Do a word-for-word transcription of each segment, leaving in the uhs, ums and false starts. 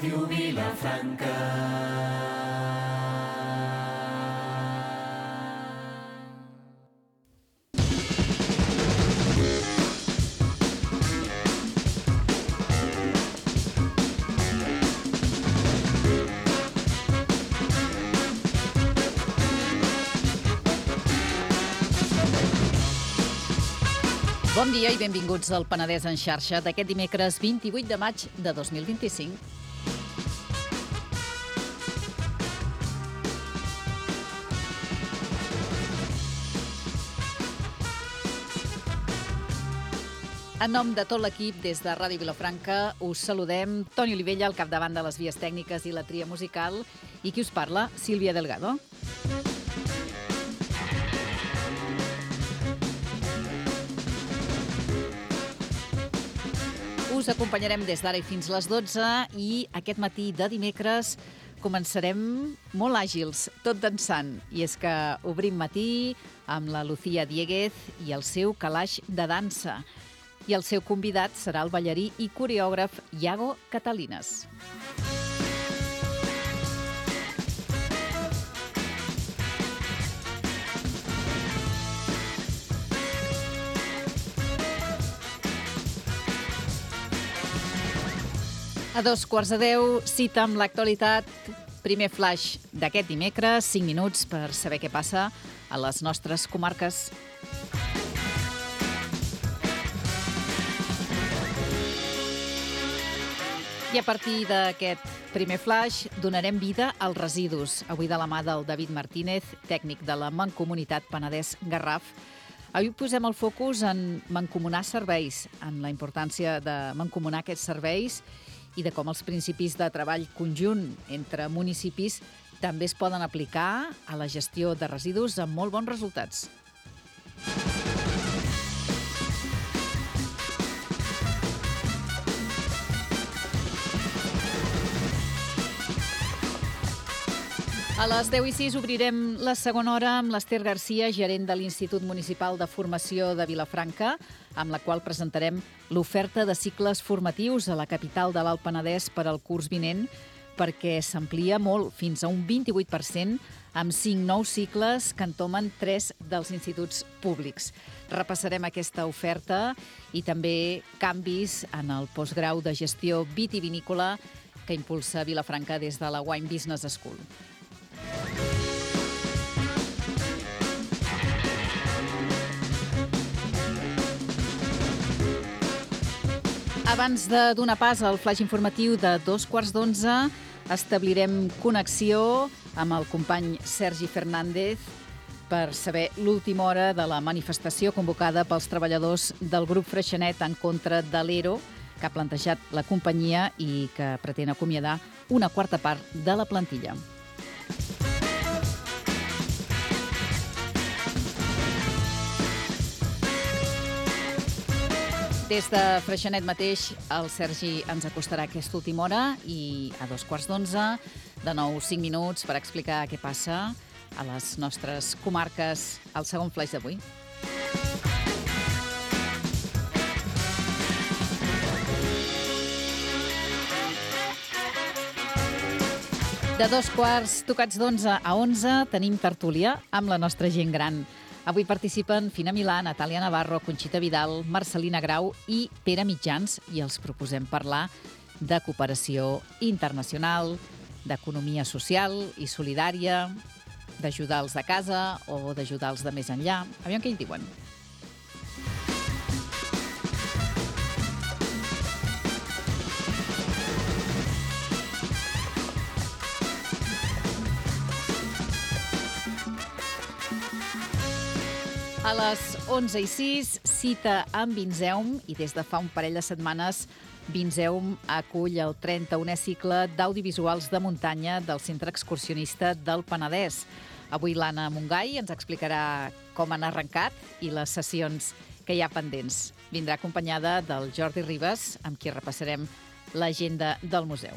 Ràdio Vilafranca. Bon dia i benvinguts al Penedès en xarxa d'aquest dimecres vint-i-vuit de maig de dos mil vint-i-cinc. En nom de tot l'equip, des de Ràdio Vilafranca, us saludem. Toni Olivella, al capdavant de les vies tècniques i la tria musical. I qui us parla? Sílvia Delgado. Us acompanyarem des d'ara i fins les dotze i aquest matí de dimecres començarem molt àgils, tot dansant. I és que obrim matí amb la Lucía Dieguez i el seu calaix de dansa. I el seu convidat serà el ballarí i coreògraf Iago Catalines. A dos quarts de deu, cita amb l'actualitat. Primer flash d'aquest dimecres, cinc minuts per saber què passa a les nostres comarques. I a partir d'aquest primer flash donarem vida als residus. Avui de la mà del David Martínez, tècnic de la Mancomunitat Penedès Garraf. Avui posem el focus en mancomunar serveis, en la importància de mancomunar aquests serveis i de com els principis de treball conjunt entre municipis també es poden aplicar a la gestió de residus amb molt bons resultats. A les deu i sis obrirem la segona hora amb l'Ester Garcia, gerent de l'Institut Municipal de Formació de Vilafranca, amb la qual presentarem l'oferta de cicles formatius a la capital de l'Alt Penedès per al curs vinent, perquè s'amplia molt, fins a un vint-i-vuit per cent, amb cinc nous cicles que entomen tres dels instituts públics. Repassarem aquesta oferta i també canvis en el postgrau de gestió vitivinícola que impulsa Vilafranca des de la Wine Business School. Abans de donar pas al flash informatiu de dos quarts d'onze, establirem connexió amb el company Sergi Fernández per saber l'última hora de la manifestació convocada pels treballadors del grup Freixenet en contra de l'Ero, que ha plantejat la companyia i que pretén acomiadar una quarta part de la plantilla. Des de Freixenet mateix, el Sergi ens acostarà aquesta última hora i a dos quarts d'onze, de nou cinc minuts per explicar què passa a les nostres comarques al segon flash d'avui. De dos quarts tocats d'onze a onze tenim tertúlia amb la nostra gent gran. Avui participen Fina Milà, Natàlia Navarro, Conxita Vidal, Marcelina Grau i Pere Mitjans i els proposem parlar de cooperació internacional, d'economia social i solidària, d'ajudar els de casa o d'ajudar els de més enllà. Aviam què hi diuen. A les onze i sis, cita amb Vinzeum i des de fa un parell de setmanes Vinzeum acull el trenta-unè cicle d'audiovisuals de muntanya del Centre Excursionista del Penedès. Avui l'Anna Mungai ens explicarà com han arrencat i les sessions que hi ha pendents. Vindrà acompanyada del Jordi Ribas, amb qui repassarem l'agenda del museu.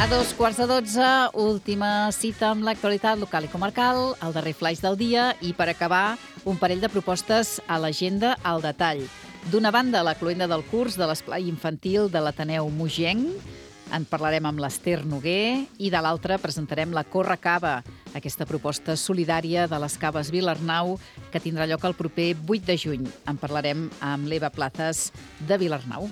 A dos quarts de dotze, última cita amb l'actualitat local i comarcal, el darrer flaix del dia i, per acabar, un parell de propostes a l'agenda al detall. D'una banda, la cloenda del curs de l'esplai infantil de l'Ateneu Mogenc, en parlarem amb l'Ester Noguer, i de l'altra presentarem la Corre Cava, aquesta proposta solidària de les caves Vilarnau que tindrà lloc el proper vuit de juny. En parlarem amb l'Eva Plazas de Vilarnau.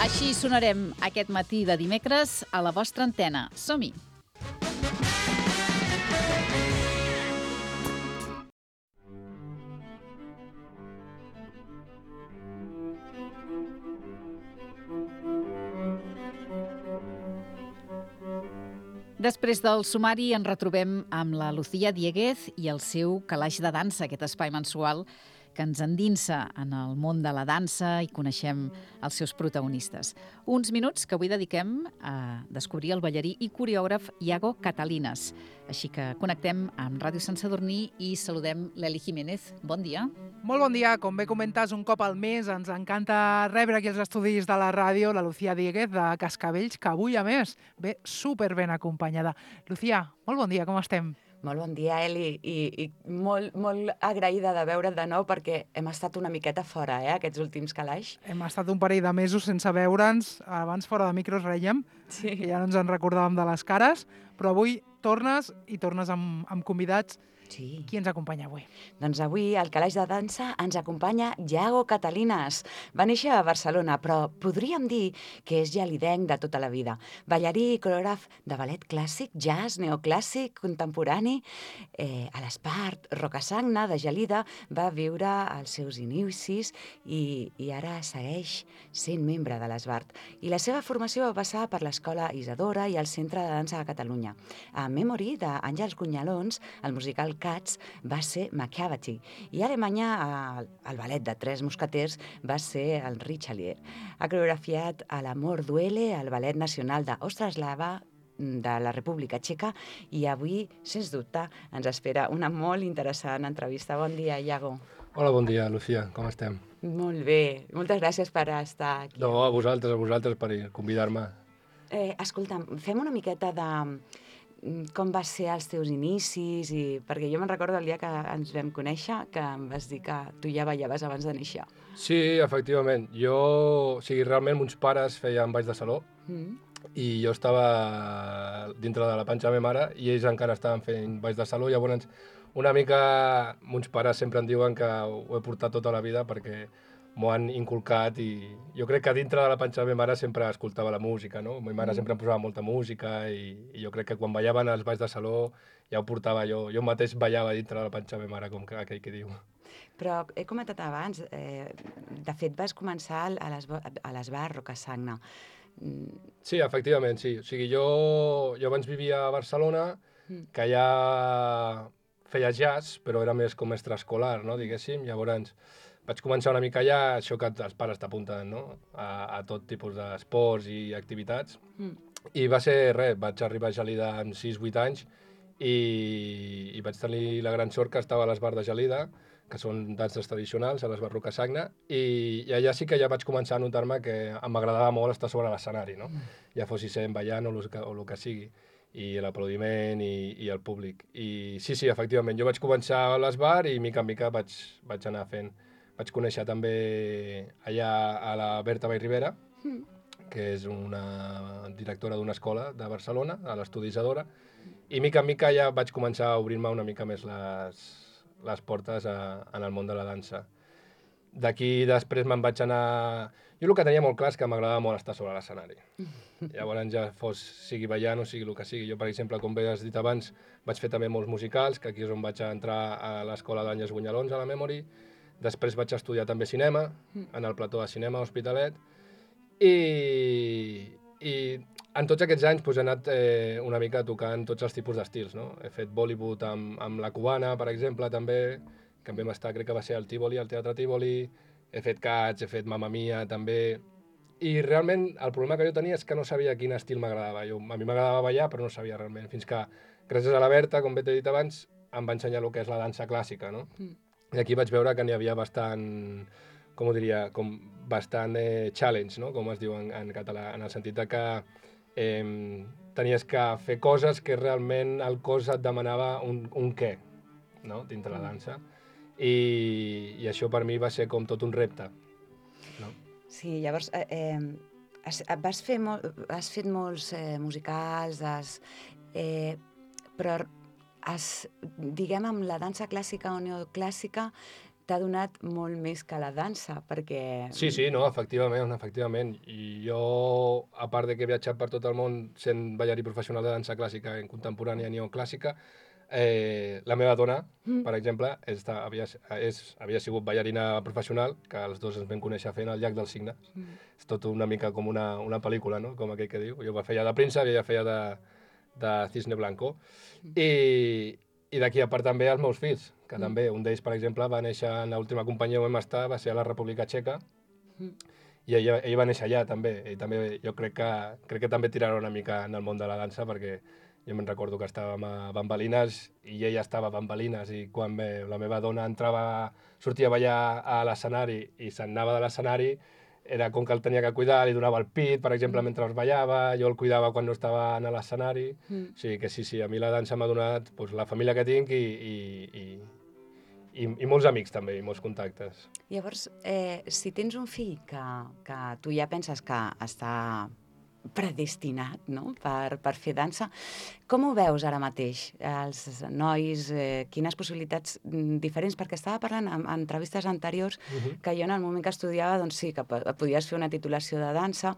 Així sonarem aquest matí de dimecres a la vostra antena. Som-hi! Després del sumari ens retrobem amb la Lucía Dieguez i el seu Calaix de dansa, aquest espai mensual que ens endinsa en el món de la dansa i coneixem els seus protagonistes. Uns minuts que avui dediquem a descobrir el ballarí i coreògraf Iago Catalinas. Així que connectem amb Ràdio Sant Sadurní i saludem l'Eli Jiménez. Bon dia. Molt bon dia. Com bé comentes, un cop al mes ens encanta rebre aquí als estudis de la ràdio la Lucía Dieguez de Cascavells, que avui, a més, ve super ben acompanyada. Lucía, molt bon dia, com estem? Molt bon dia, Eli, i, i molt, molt agraïda de veure't de nou perquè hem estat una miqueta fora, eh, aquests últims calaix. Hem estat un parell de mesos sense veure'ns, abans fora de micros rèiem, sí. que ja no ens en recordàvem de les cares, però avui tornes i tornes amb, amb convidats. Sí. Qui ens acompanya avui? Doncs avui al Calaix de Dansa ens acompanya Iago Catalinas. Va néixer a Barcelona, però podríem dir que és gelidenc de tota la vida. Ballarí i coreògraf de ballet clàssic, jazz, neoclàssic, contemporani. Eh, a l'Espart, Rocasagna, de Gelida, va viure els seus inicis i, i ara segueix sent membre de l'Esbart. I la seva formació va passar per l'Escola Isadora i el Centre de Dansa de Catalunya. A Memory, d'Àngels Cunyalons, el musical Cats va ser Macavity i a Alemanya el, el ballet de Tres Mosqueters va ser el Richelieu. Ha coreografiat a l'Amor Duele, al Ballet Nacional d'Ostraslava de la República Txeca i avui, sens dubte, ens espera una molt interessant entrevista. Bon dia, Iago. Hola, bon dia, Lucía. Com estem? Molt bé. Moltes gràcies per estar aquí. No, a vosaltres, a vosaltres per convidar-me. Eh, escolta'm, fem una miqueta de com va ser els teus inicis, i perquè jo me'n recordo el dia que ens vam conèixer que em vas dir que tu ja ballaves abans de néixer. Sí, efectivament. Jo, o sigui, realment, mons pares feien balls de saló mm. i jo estava dintre de la panxa de la meva mare i ells encara estaven fent balls de saló. Llavors, una mica, mons pares sempre em diuen que ho he portat tota la vida perquè m'ho han inculcat i jo crec que dintre de la panxa de la meva mare sempre escoltava la música, no? Ma mare mm. sempre em posava molta música i, i jo crec que quan ballaven els balls de saló ja ho portava jo. Jo mateix ballava dintre de la panxa de la meva mare, com que aquell que diu. Però he comentat abans, eh, de fet vas començar a l'Esbart Rocasagna. Sí, efectivament, sí. O sigui, jo, jo abans vivia a Barcelona, mm. que ja feia jazz, però era més com extraescolar, no? Diguéssim. Llavors vaig començar una mica allà, això que els pares t'apunten, no? a, a tot tipus d'esports i activitats. Mm. I va ser res, vaig arribar a Gelida amb sis vuit anys i, i vaig tenir la gran sort que estava a l'Esbart de Gelida, que són danses tradicionals, a l'Esbart Rocasagna, i, i allà sí que ja vaig començar a notar-me que m'agradava molt estar sobre l'escenari, no? Mm. Ja fos sent ballant o el que, o el que sigui, i l'aplaudiment i, i el públic. I sí, sí, efectivament, jo vaig començar a l'Esbart i mica en mica vaig, vaig anar fent. Vaig conèixer també allà a la Berta Vallribera, mm. que és una directora d'una escola de Barcelona, a l'Estudi Isadora, i mica en mica ja vaig començar a obrir-me una mica més les, les portes a, en el món de la dansa. D'aquí després me'n vaig anar... Jo el que tenia molt clar és que m'agradava molt estar sobre l'escenari. Llavors ja fos, sigui ballant o sigui el que sigui. Jo, per exemple, com bé has dit abans, vaig fer també molts musicals, que aquí és on vaig entrar a l'escola d'Àngels Gunyalons, a la Memory. Després vaig estudiar també cinema, en el plató de cinema Hospitalet, i, i en tots aquests anys doncs, he anat eh, una mica tocant tots els tipus d'estils, no? He fet Bollywood amb, amb la cubana, per exemple, també, que vam estar, crec que va ser al Tívoli, al Teatre Tívoli, he fet Cats, he fet Mamma Mia, també, i realment el problema que jo tenia és que no sabia quin estil m'agradava. Jo, a mi m'agradava ballar, però no sabia realment, fins que, gràcies a la Berta, com bé t'he dit abans, em va ensenyar el que és la dansa clàssica, no? Mm. I aquí vaig veure que n'hi havia bastant, com ho diria, com bastant eh, challenge, no? Com es diu en, en català, en el sentit de que eh, tenies que fer coses que realment el cos et demanava un, un què, no?, dintre la dansa. I, I això per mi va ser com tot un repte. No? Sí, llavors, eh, eh, has, vas fer mol, has fet molts eh, musicals, has, eh, però has, diguem, amb la dansa clàssica o neoclàssica t'ha donat molt més que la dansa, perquè... Sí, sí, no, efectivament, efectivament. I jo, a part de que he viatjat per tot el món sent ballarí professional de dansa clàssica en contemporània i neoclàssica, eh, la meva dona, mm. per exemple, està, havia, és, havia sigut ballarina professional, que els dos ens vam conèixer fent el Llac dels Cignes. Mm. És tot una mica com una, una pel·lícula, no?, com aquell que diu. Jo feia de príncep i ella feia de, de cisne blanco. Mm. I, i d'aquí a part també els meus fills, que mm. també, un d'ells, per exemple, va néixer en l'última companyia on vam estar, va ser a la República Txeca, mm. i ell, ell va néixer allà també. I també jo crec que, crec que també tirarà una mica en el món de la dansa, perquè jo me'n recordo que estàvem a Bambalines i ella estava a Bambalines, i quan me, la meva dona entrava, sortia a ballar a l'escenari i se'n anava de l'escenari, era com que el tenia que cuidar, li donava el pit, per exemple, mm. mentre es ballava, jo el cuidava quan no estava a l'escenari. Mm. O sigui que sí, sí, a mi la dansa m'ha donat pues, la família que tinc i, i, i, i, i molts amics també, i molts contactes. Llavors, eh, si tens un fill que, que tu ja penses que està predestinat, no?, per, per fer dansa, com ho veus ara mateix, els nois, eh, quines possibilitats diferents? Perquè estava parlant en, en entrevistes anteriors uh-huh. que jo en el moment que estudiava, doncs sí, que podies fer una titulació de dansa,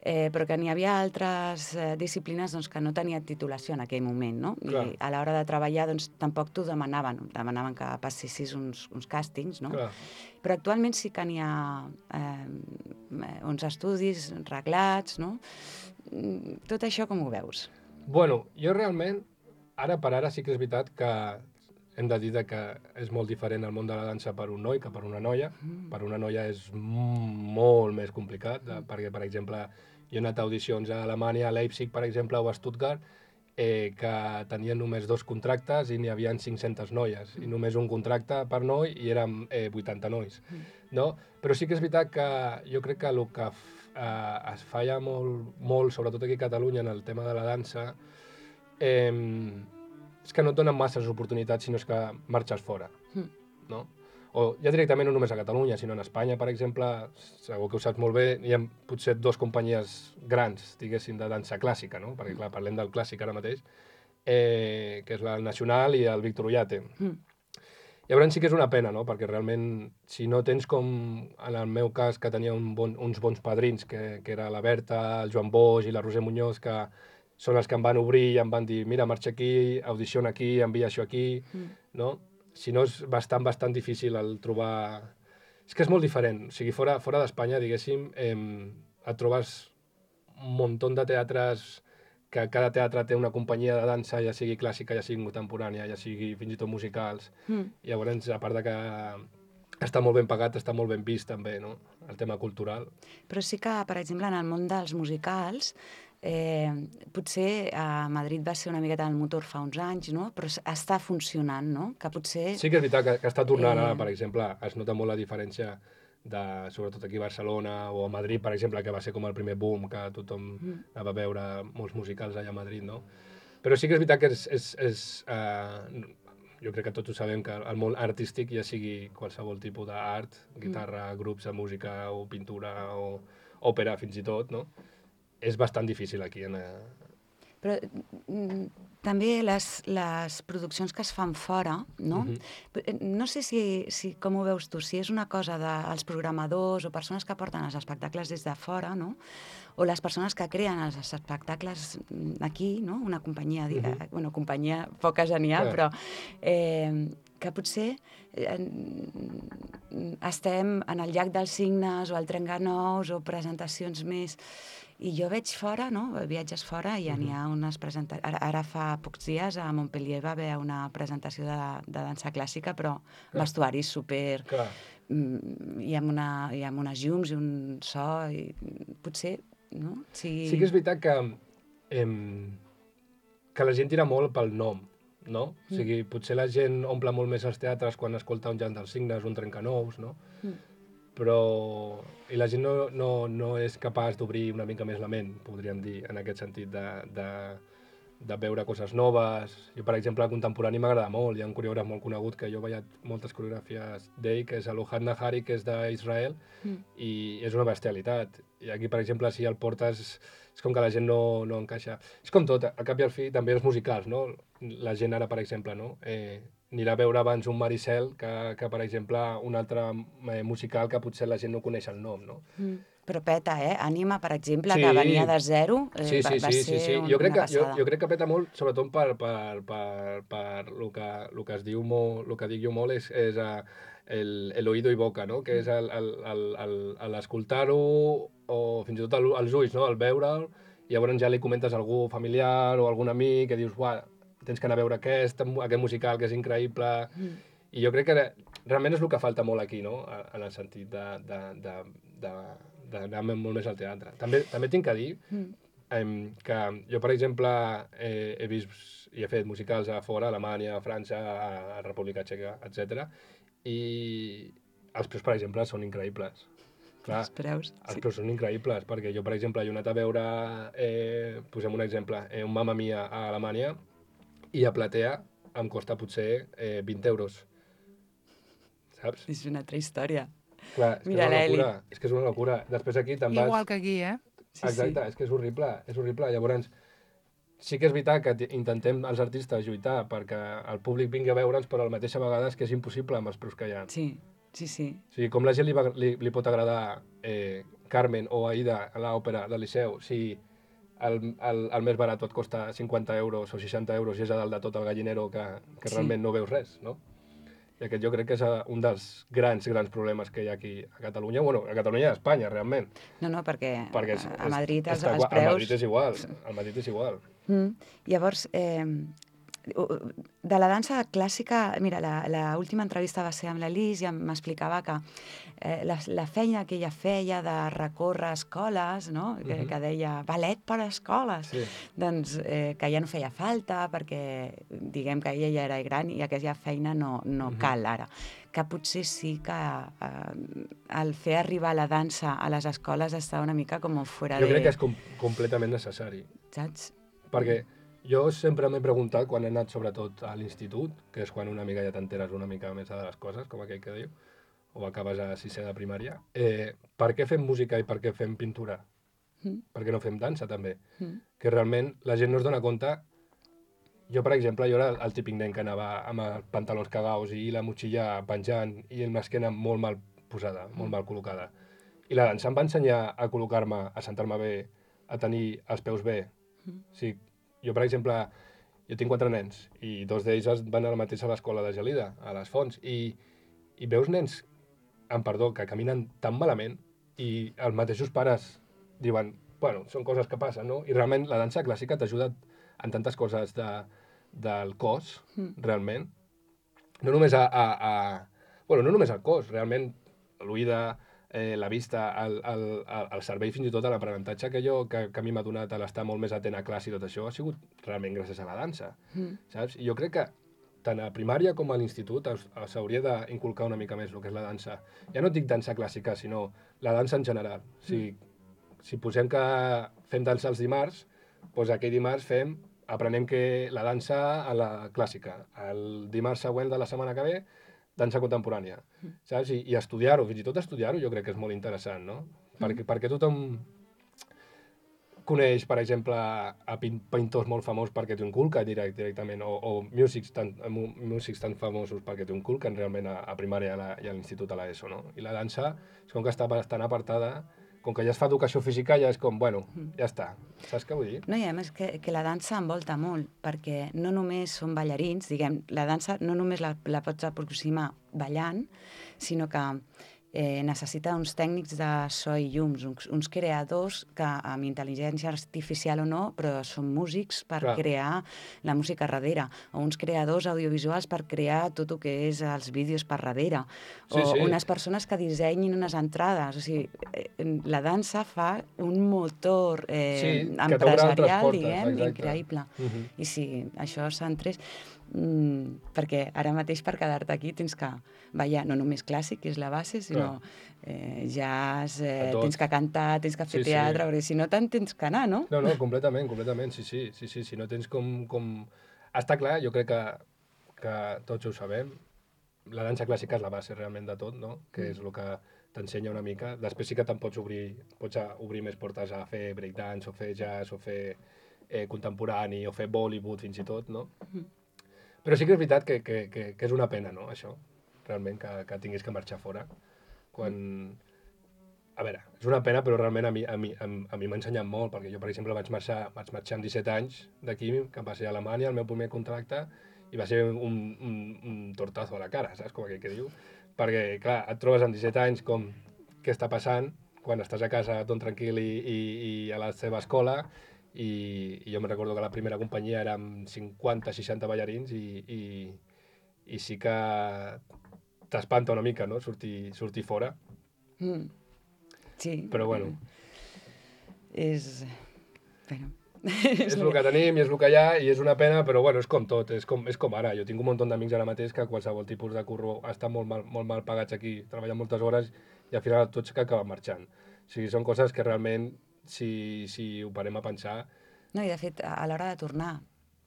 eh, però que n'hi havia altres eh, disciplines doncs, que no tenien titulació en aquell moment, no? Clar. I a l'hora de treballar doncs, tampoc t'ho demanaven, demanaven que passessis uns, uns càstings, no? Clar. Però actualment sí que n'hi ha eh, uns estudis reglats, no? Tot això com ho veus? Bueno, jo realment, ara per ara sí que és veritat que hem de dir que és molt diferent el món de la dansa per un noi que per una noia. Mm. Per una noia és molt més complicat, de, perquè, per exemple, jo he anat a audicions a Alemanya, a Leipzig, per exemple, o a Stuttgart, eh, que tenien només dos contractes i n'hi havia cinc-centes noies, mm. i només un contracte per noi i érem eh, vuitanta nois. Mm. No? Però sí que és veritat que jo crec que el que eh, es falla molt, molt, sobretot aquí a Catalunya, en el tema de la dansa, eh, és que no et donen masses oportunitats si no és que marxes fora, mm. no? O ja directament no només a Catalunya, sinó en Espanya, per exemple, segur que ho saps molt bé, hi ha potser dues companyies grans, diguéssim, de dansa clàssica, no? Perquè, clar, parlem del clàssic ara mateix, eh, que és la Nacional i el Víctor Ullate. Mm. Llavors sí que és una pena, no? Perquè realment, si no tens com, en el meu cas, que tenia un bon, uns bons padrins, que, que era la Berta, el Joan Boix i la Roser Muñoz, que són els que em van obrir i em van dir, mira, marxa aquí, audiciona aquí, envia això aquí, mm. no? Si no, és bastant, bastant difícil el trobar... És que és molt diferent. O sigui, fora, fora d'Espanya, diguéssim, eh, et trobes un munt de teatres, que cada teatre té una companyia de dansa, ja sigui clàssica, ja sigui contemporània, ja sigui fins i tot musicals. Mm. I llavors, a part de que està molt ben pagat, està molt ben vist també, no?, el tema cultural. Però sí que, per exemple, en el món dels musicals, Eh, potser a Madrid va ser una miqueta el motor fa uns anys, no? Però està funcionant, no? Que potser... Sí que és veritat que, que està tornant eh... ara, per exemple, es nota molt la diferència, de, sobretot aquí a Barcelona o a Madrid, per exemple, que va ser com el primer boom, que tothom mm. anava a veure molts musicals allà a Madrid, no? Però sí que és veritat que és... és, és eh, jo crec que tots ho sabem, que el món artístic, ja sigui qualsevol tipus d'art, guitarra, mm. grups de música o pintura o òpera fins i tot, no?, és bastant difícil aquí. En... Però mm, també les, les produccions que es fan fora, no? Uh-huh. No sé si, si, com ho veus tu, si és una cosa dels programadors o persones que porten els espectacles des de fora, no? O les persones que creen els espectacles aquí, no? Una companyia, uh-huh. bueno, companyia poca genial, yeah. però eh, que potser eh, estem en el Llac dels Cignes o al Trencanous o presentacions més... I jo veig fora, no? Viatges fora i ja uh-huh. n'hi ha unes presentacions... Ara, ara fa pocs dies a Montpellier va haver una presentació de, de dansa clàssica, però Clar. vestuaris super... Clar. I amb, una, i amb unes llums i un so, i potser, no? Si... Sí que és veritat que, eh, que la gent tira molt pel nom, no? Mm. O sigui, potser la gent omple molt més els teatres quan escolta un Llac dels Cignes, un Trencanous, no? Mm. però... I la gent no, no, no és capaç d'obrir una mica més la ment, podríem dir, en aquest sentit de, de, de veure coses noves. Jo, per exemple, el contemporani m'agrada molt. Hi ha un coreògraf molt conegut que jo veia moltes coreografies d'ell, que és l'Ohad Nahari, que és d'Israel, mm. i és una bestialitat. I aquí, per exemple, si el portes, és com que la gent no, no encaixa. És com tot, al cap i al fi, també els musicals, no? La gent ara, per exemple, no? Eh, anirà a veure abans un Maricel que, que per exemple, un altre eh, musical que potser la gent no coneix el nom, no? Mm. Però peta, eh? Ànima, per exemple, sí. que venia de zero, eh, sí, sí, va, va sí, ser sí, sí. Un, jo crec una que, passada. Jo, jo crec que peta molt, sobretot per, per, per, per el, que, el que es diu molt, el que dic jo molt és, és uh, el, el oído i boca, no? Que és l'escoltar-ho o fins i tot el, els ulls, no? El veure'l, i llavors ja li comentes a algú familiar o a algun amic que dius, uah, tens que anar a veure aquest, aquest musical que és increïble. Mm. I jo crec que realment és el que falta molt aquí, no? En el sentit de, de, de, de, d'anar molt més al teatre. També, també tinc que dir mm. eh, que jo, per exemple, eh, he vist i he fet musicals a fora, a Alemanya, a França, a, a República Txeca, etcètera. I els preus, per exemple, són increïbles. Clar, els preus, els sí. preus són increïbles, perquè jo, per exemple, he anat a veure, eh, posem un exemple, eh, un Mamma Mia a Alemanya, i a Platea em costa potser eh, vint euros, saps? És una altra història. Clar, és Mira, que és una locura, és que és una locura. Després aquí te'n vas... Igual que aquí, eh? Sí, Exacte, sí. És que és horrible, és horrible. Llavors, sí que és veritat que intentem els artistes lluitar perquè el públic vingui a veure'ns, però a la mateixa vegada és que és impossible amb els preus que hi ha. Sí, sí, sí. O sigui, com la gent li, va, li, li pot agradar eh, Carmen o Aida a l'òpera del Liceu, si el, el, el més barat et costa cinquanta euros o seixanta euros i és a dalt de tot el gallinero que, que Sí. realment no veus res, no? I aquest jo crec que és un dels grans, grans problemes que hi ha aquí a Catalunya, bueno, a Catalunya i a Espanya, realment. No, no, perquè, Perquè és, a Madrid és, els, els igual, preus... A Madrid és igual, a Madrid és igual. Mm. Llavors, eh, de la dansa clàssica, mira, la, la última entrevista va ser amb l'Elis i m'explicava que eh, la, la feina que ella feia de recórrer escoles, no? que, Mhm. que deia ballet per a escoles, Sí. doncs eh, que ja no feia falta perquè diguem que ella ja era gran i aquella feina no, no Mhm. cal ara. Que potser sí que eh, el fer arribar la dansa a les escoles està una mica com fora Jo de... crec que és com, completament necessari. Saps? Perquè jo sempre m'he preguntat, quan he anat sobretot a l'institut, que és quan una mica ja t'enteres una mica més de les coses, com aquell que diu, o acabes a sisè de primària, eh, per què fem música i per què fem pintura? Mm. Per què no fem dansa, també? Mm. Que realment la gent no es dona compte. Jo, per exemple, jo era el típic nen que anava amb els pantalons cagaus i la motxilla penjant i l'esquena molt mal posada, molt mal col·locada. I la dansa em va ensenyar a col·locar-me, a sentar-me bé, a tenir els peus bé. Mm. O sigui, jo, per exemple, jo tinc quatre nens i dos d'ells van a la mateixa a l'escola de Gelida, a les Fonts, i, i veus nens, amb perdó, que caminen tan malament i els mateixos pares diuen, bueno, són coses que passen, no? I realment la dansa clàssica t'ajuda en tantes coses de, del cos, mm. realment. No només a, a, a... Bueno, no només al cos, realment l'oïda, eh, la vista, el, el, el cervell, fins i tot l'aprenentatge que jo, que, que a mi m'ha donat a l'estar molt més atent a classe i tot això, ha sigut realment gràcies a la dansa, mm. saps? I jo crec que tant a primària com a l'institut s'hauria d'inculcar una mica més el que és la dansa. Ja no dic dansa clàssica, sinó la dansa en general. O sigui, mm. si posem que fem dansa els dimarts, doncs aquell dimarts fem, aprenem que la dansa a la clàssica. El dimarts següent de la setmana que ve, dansa contemporània, saps? I, i estudiar-ho, fins i tot estudiar-ho jo crec que és molt interessant, no? Perquè, perquè tothom coneix, per exemple, a pintors molt famosos perquè t'ho inculquen direct, directament, o, o músics, tan, músics tan famosos perquè t'ho inculquen realment a, a primària i a l'institut a l'ESO, no? I la dansa és com que està bastant apartada, com que ja es fa educació física, ja és com, bueno, ja està. Saps què vull dir? No, i a més que, que la dansa envolta molt, perquè no només són ballarins, diguem, la dansa no només la, la pots aproximar ballant, sinó que eh, necessita uns tècnics de so i llums, uns, uns creadors que amb intel·ligència artificial o no, però són músics per Clar. crear la música darrere, o uns creadors audiovisuals per crear tot el que és els vídeos per darrere, Sí, o sí. unes persones que dissenyin unes entrades. O sigui, eh, la dansa fa un motor eh, Sí, que t'obre altres empresarial, portes, diguem, exacte. increïble. Mhm. I si això s'entrés... mm, perquè ara mateix per quedar-te aquí tens que ballar no només clàssic, que és la base, sinó eh, jazz, eh, tens que cantar, tens que fer sí, teatre, sí. perquè si no tant tens que anar, no? No, no, completament, completament, sí, sí, sí, sí, si no tens com... com... Està clar, jo crec que, que tots ho sabem, la dansa clàssica és la base realment de tot, no? Que és el que t'ensenya una mica. Després sí que te'n pots obrir, pots obrir més portes a fer breakdance, o fer jazz, o fer eh, contemporani, o fer Bollywood fins i tot, no? Però sí que és veritat que, que, que, que és una pena, no?, això, realment, que, que tinguis que marxar fora. Quan... A veure, és una pena, però realment a mi a mi, a, a mi m'ha ensenyat molt, perquè jo, per exemple, vaig marxar, vaig marxar amb disset anys d'aquí, que va ser a Alemanya, el meu primer contracte, i va ser un, un, un tortazo a la cara, saps, com aquell que diu? Perquè, clar, et trobes amb disset anys com què està passant, quan estàs a casa tot tranquil i, i, i a la teva escola, i, i jo me recordo que la primera companyia érem cinquanta seixanta ballarins i, i, i sí que t'espanta una mica, no?, sortir, sortir fora. Mm. Sí. Però bueno. És... Bueno... és el que tenim i és el que hi ha i és una pena, però bueno, és com tot, és com, és com ara. Jo tinc un munt d'amics ara mateix que qualsevol tipus de curro estan molt mal, molt mal pagats aquí, treballen moltes hores i al final tots que acaben marxant. O sigui, són coses que realment, si, si ho parem a pensar... No, i de fet, a l'hora de tornar,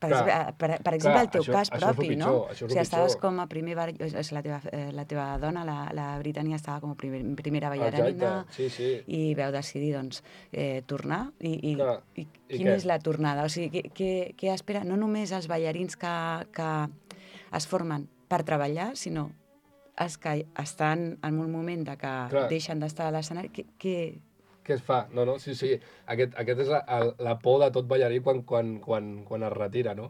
per, Clar, exemple, per, per exemple, clar, el teu això- cas això és propi, el pitjor, no? això és O el sigui, estaves pitjor. com a primer... bar- és la teva, eh, la teva dona, la, la Britània, estava com a primer, primera ballarina. Exacte, sí, sí. I veu decidir, doncs, eh, tornar. I, i, Clar, i, i quina què? és la tornada? O sigui, què, què, què espera? No només els ballarins que, que es formen per treballar, sinó els que estan en un moment de que Clar. deixen d'estar a l'escenari. Què, què... Què es fa? No, no, sí, sí. Aquest, aquest és la, el, la por de tot ballarí quan, quan, quan, quan es retira, no?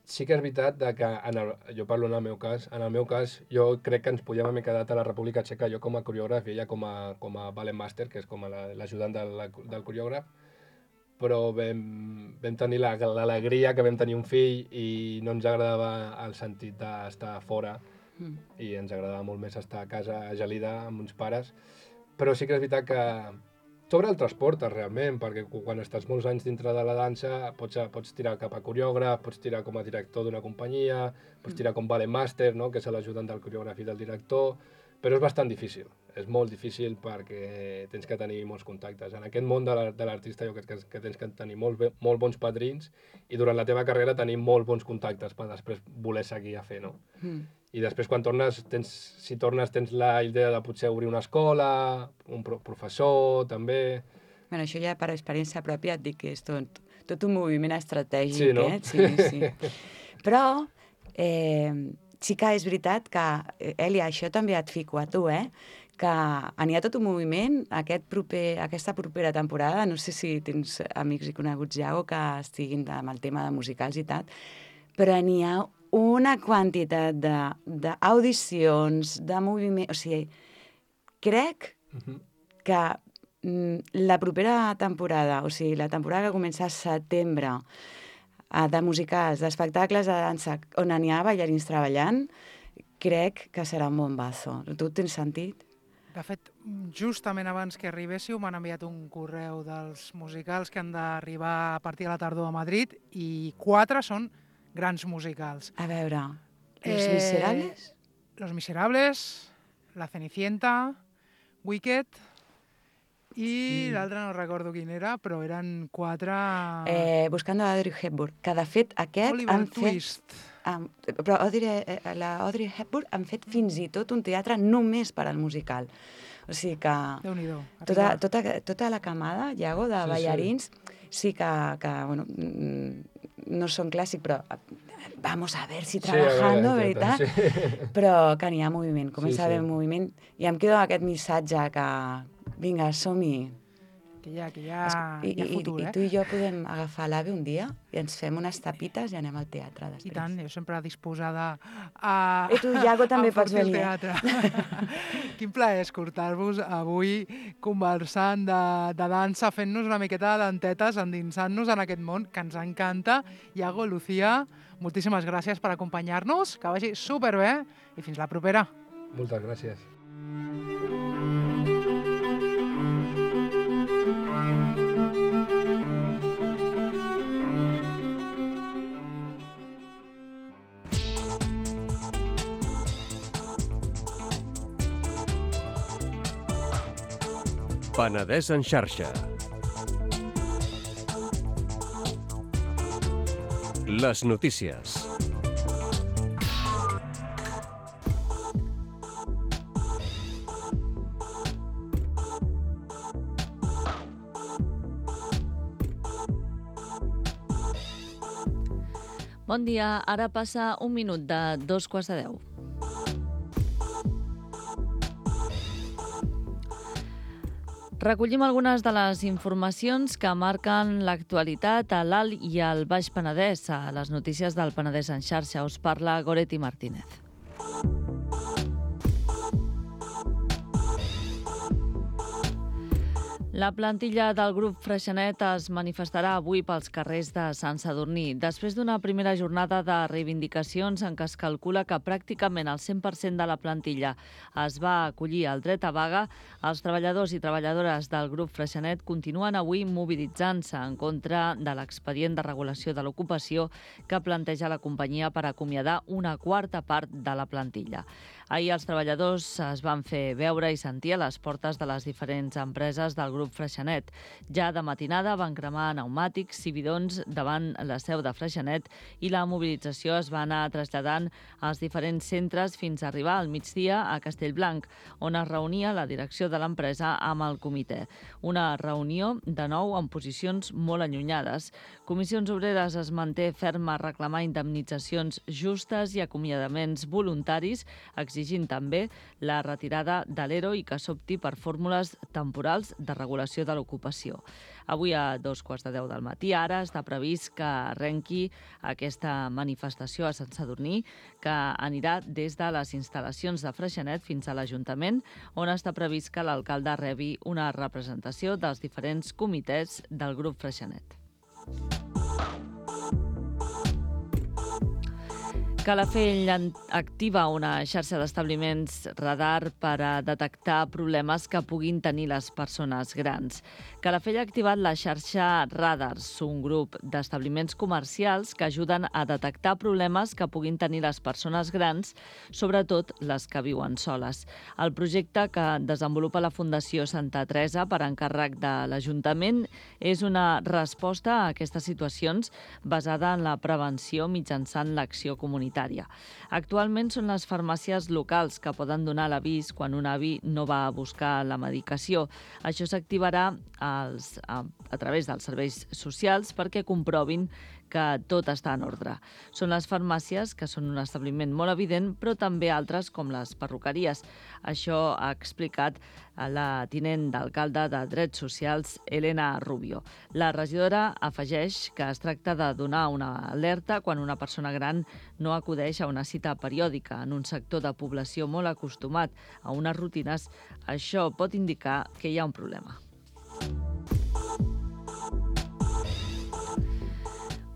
Sí que és veritat de que, en el, jo parlo en el meu cas, en el meu cas, jo crec que ens podíem haver quedat a la República Txeca, jo com a coreògraf i ella com a, com a ballet master, que és com a l'ajudant la, del, del coreògraf, però vam, vam tenir la- l'alegria que vam tenir un fill i no ens agradava el sentit d'estar fora Mm. i ens agradava molt més estar a casa a Gelida amb uns pares, però sí que és veritat que sobre el transport, realment, perquè cu- quan estàs molts anys dintre de la dansa pots, pots tirar cap a coreògraf, pots tirar com a director d'una companyia, pots tirar com ballet master, no?, que és l'ajudant del coreògraf i del director, però és bastant difícil, és molt difícil perquè tens que tenir molts contactes. En aquest món de la- de l'artista jo crec que, que tens que tenir molt, bé, molt bons padrins i durant la teva carrera tenir molt bons contactes per després voler seguir a fer, no? Mm. I després quan tornes, tens, si tornes tens la idea de potser obrir una escola, un pro professor també... Bueno, això ja per experiència pròpia et dic que és tot, tot un moviment estratègic, Sí, no? eh? Sí, sí. Però eh, sí que és veritat que, eh, Èlia, això també et fico a tu, eh? Que n'hi ha tot un moviment, aquest proper, aquesta propera temporada, no sé si tens amics i coneguts ja o que estiguin amb el tema de musicals i tal, però n'hi ha una quantitat de- d'audicions, de, de moviment... O sigui, crec Mhm. que mm, la propera temporada, o sigui, la temporada que comença a setembre, eh, de musicals, d'espectacles de dansa, on n'hi ha ballarins treballant, crec que serà un bombazo. Tu tens sentit? De fet, justament abans que arribéssiu m'han enviat un correu dels musicals que han d'arribar a partir de la tardor a Madrid i quatre són grans musicals. A veure, Los Eh, Miserables? Los Miserables, La Cenicienta, Wicked i Mm. l'altre no recordo quin era, però eren quatre... Eh, Buscando a Audrey Hepburn, que de fet aquest Oliver han fet... Twist. Um, però Audrey, eh, la Audrey Hepburn han fet fins i tot un teatre només per al musical. O sigui que Déu-n'hi-do. tota, arriba. tota, tota la camada, Iago, de Sí, sí. ballarins, sí que, que bueno, mm, no són clàssic, però eh, vamos a ver si Sí, a veure, trabajando, exacte, veritat? sí. Però que n'hi ha moviment, comença Sí, a haver sí. moviment. I em quedo amb aquest missatge que, vinga, som-hi. Que hi ha, que hi ha, I, hi ha i, futur, I eh? tu i jo podem agafar l'AVE un dia i ens fem unes tapites i anem al teatre I després. tant, jo sempre disposada a... I tu, Iago, també a pots enfortir el venir, eh? teatre. Quin plaer escoltar-vos avui conversant de, de dansa, fent-nos una miqueta de dentetes, endinsant-nos en aquest món que ens encanta. Iago, Lucía, moltíssimes gràcies per acompanyar-nos, que vagi superbé i fins la propera. Moltes gràcies. Penedès en xarxa. Les notícies. Bon dia, ara passa un minut de dos quarts de deu. Recollim algunes de les informacions que marquen l'actualitat a l'Alt i al Baix Penedès. A les notícies del Penedès en xarxa us parla Goretti Martínez. La plantilla del grup Freixenet es manifestarà avui pels carrers de Sant Sadurní, després d'una primera jornada de reivindicacions en què es calcula que pràcticament el cent per cent de la plantilla es va acollir al dret a vaga. Els treballadors i treballadores del grup Freixenet continuen avui mobilitzant-se en contra de l'expedient de regulació de l'ocupació que planteja la companyia per acomiadar una quarta part de la plantilla. Ahir els treballadors es van fer veure i sentir a les portes de les diferents empreses del grup Freixenet. Ja de matinada van cremar pneumàtics i bidons davant la seu de Freixenet i la mobilització es va anar traslladant als diferents centres fins a arribar al migdia a Castellblanc, on es reunia la direcció de l'empresa amb el comitè. Una reunió, de nou, en posicions molt allunyades. Comissions Obreres es manté ferma a reclamar indemnitzacions justes i acomiadaments voluntaris, exigint també la retirada de l'E R O i que s'opti per fórmules temporals de regulació de l'ocupació. Avui a dos quarts de deu del matí ara està previst que arrenqui aquesta manifestació a Sant Sadurní, que anirà des de les instal·lacions de Freixenet fins a l'Ajuntament, on està previst que l'alcalde rebi una representació dels diferents comitès del grup Freixenet. Calafell activa una xarxa d'establiments radar per a detectar problemes que puguin tenir les persones grans. Calafell ha activat la xarxa Radars, un grup d'establiments comercials que ajuden a detectar problemes que puguin tenir les persones grans, sobretot les que viuen soles. El projecte que desenvolupa la Fundació Santa Teresa per encàrrec de l'Ajuntament és una resposta a aquestes situacions basada en la prevenció mitjançant l'acció comunitària. Actualment són les farmàcies locals que poden donar l'avís quan un avi no va a buscar la medicació. Això s'activarà als, a, a través dels serveis socials perquè comprovin que tot està en ordre. Són les farmàcies, que són un establiment molt evident, però també altres com les perruqueries. Això ha explicat la tinent d'alcalde de Drets Socials, Elena Rubio. La regidora afegeix que es tracta de donar una alerta quan una persona gran no acudeix a una cita periòdica en un sector de població molt acostumat a unes rutines. Això pot indicar que hi ha un problema.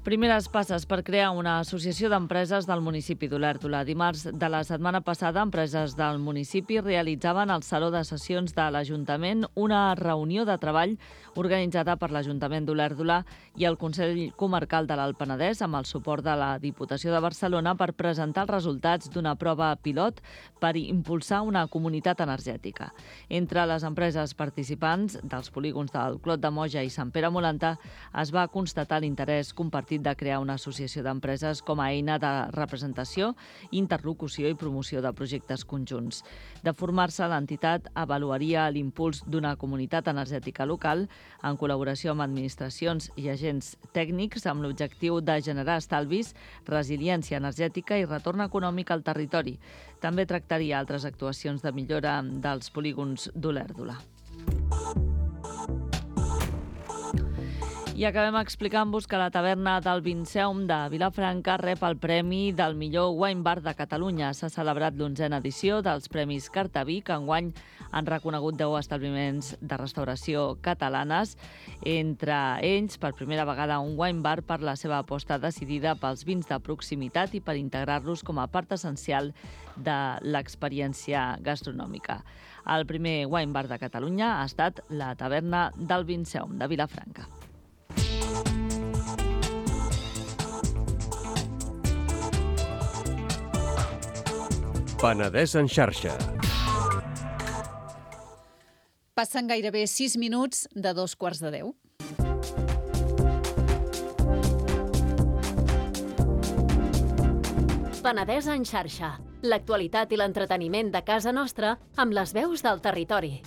Primeres passes per crear una associació d'empreses del municipi d'Olèrdola. Dimarts de la setmana passada, empreses del municipi realitzaven al Saló de Sessions de l'Ajuntament una reunió de treball organitzada per l'Ajuntament d'Olèrdola i el Consell Comarcal de l'Alt Penedès amb el suport de la Diputació de Barcelona per presentar els resultats d'una prova pilot per impulsar una comunitat energètica. Entre les empreses participants dels polígons del Clot de Moja i Sant Pere Molanta es va constatar l'interès compartit de crear una associació d'empreses com a eina de representació, interlocució i promoció de projectes conjunts. De formar-se, l'entitat avaluaria l'impuls d'una comunitat energètica local en col·laboració amb administracions i agents tècnics amb l'objectiu de generar estalvis, resiliència energètica i retorn econòmic al territori. També tractaria altres actuacions de millora dels polígons d'Olèrdola. I acabem explicant-vos que la taverna del Vinceum de Vilafranca rep el premi del millor wine bar de Catalunya. S'ha celebrat l'onzena edició dels Premis Cartaví, que enguany han reconegut deu establiments de restauració catalanes, entre ells, per primera vegada, un wine bar per la seva aposta decidida pels vins de proximitat i per integrar-los com a part essencial de l'experiència gastronòmica. El primer wine bar de Catalunya ha estat la taverna del Vinceum de Vilafranca. Penedès en xarxa. Passen gairebé sis minuts de dos quarts de deu. Penedès en xarxa. L'actualitat i l'entreteniment de casa nostra amb les veus del territori.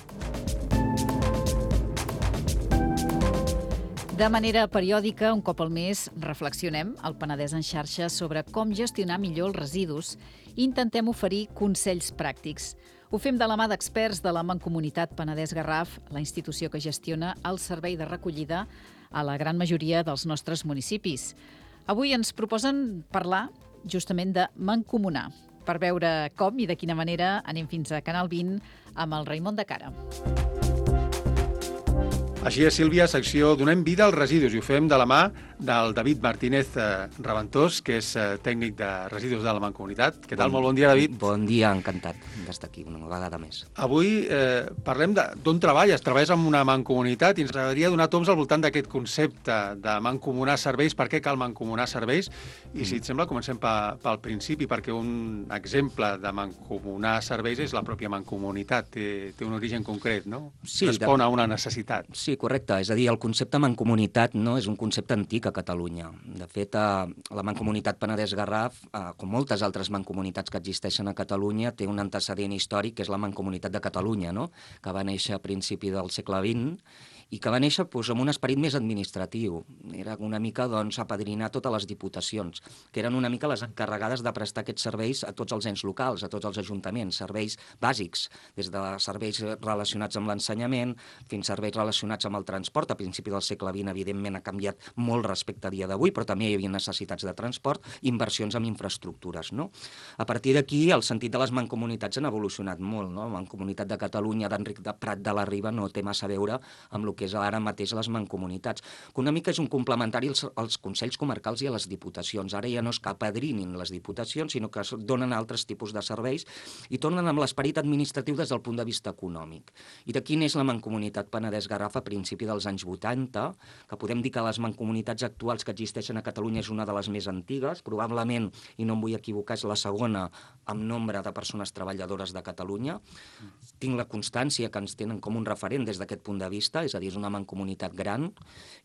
De manera periòdica, un cop al mes, reflexionem al Penedès en xarxa sobre com gestionar millor els residus i intentem oferir consells pràctics. Ho fem de la mà d'experts de la Mancomunitat Penedès Garraf, la institució que gestiona el servei de recollida a la gran majoria dels nostres municipis. Avui ens proposen parlar justament de mancomunar. Per veure com i de quina manera anem fins a Canal vint amb el Raimon de Cara. Així és, Sílvia, secció Donem vida als residus, i ho fem de la mà del David Martínez eh, Raventós, que és eh, tècnic de residus de la Mancomunitat. Què tal? Bon, Molt bon dia, David. Bon dia, encantat d'estar aquí una vegada més. Avui eh, parlem d'on treballes. Treballes en una mancomunitat i ens agradaria donar toms al voltant d'aquest concepte de mancomunar serveis. Per què cal mancomunar serveis? I si et sembla, comencem pe, pel principi, perquè un exemple de mancomunar serveis és la pròpia mancomunitat. Té, té un origen concret, no? Sí, Respon de... a una necessitat. Sí, correcte. És a dir, el concepte mancomunitat no és un concepte antic a Catalunya. De fet, eh, la Mancomunitat Penedès Garraf, eh, com moltes altres mancomunitats que existeixen a Catalunya, té un antecedent històric, que és la Mancomunitat de Catalunya, no? Que va néixer a principi del segle vint i que va néixer doncs, amb un esperit més administratiu. Era una mica doncs, apadrinar totes les diputacions, que eren una mica les encarregades de prestar aquests serveis a tots els ens locals, a tots els ajuntaments, serveis bàsics, des de serveis relacionats amb l'ensenyament fins a serveis relacionats amb el transport. A principi del segle vint, evidentment, ha canviat molt respecte a dia d'avui, però també hi havia necessitats de transport, inversions en infraestructures. No? A partir d'aquí, el sentit de les mancomunitats han evolucionat molt. No? La Mancomunitat de Catalunya d'Enric de Prat de la Riba no té massa a veure amb el que és ara mateix les mancomunitats, que una mica és un complementari als, als consells comarcals i a les diputacions. Ara ja no és que apadrinin les diputacions, sinó que donen altres tipus de serveis i tornen amb l'esperit administratiu des del punt de vista econòmic. I d'aquí neix la Mancomunitat Penedès Garraf a principi dels anys vuitanta, que podem dir que les mancomunitats actuals que existeixen a Catalunya és una de les més antigues, probablement, i no em vull equivocar, és la segona amb nombre de persones treballadores de Catalunya. Tinc la constància que ens tenen com un referent des d'aquest punt de vista, és a dir, és una mancomunitat gran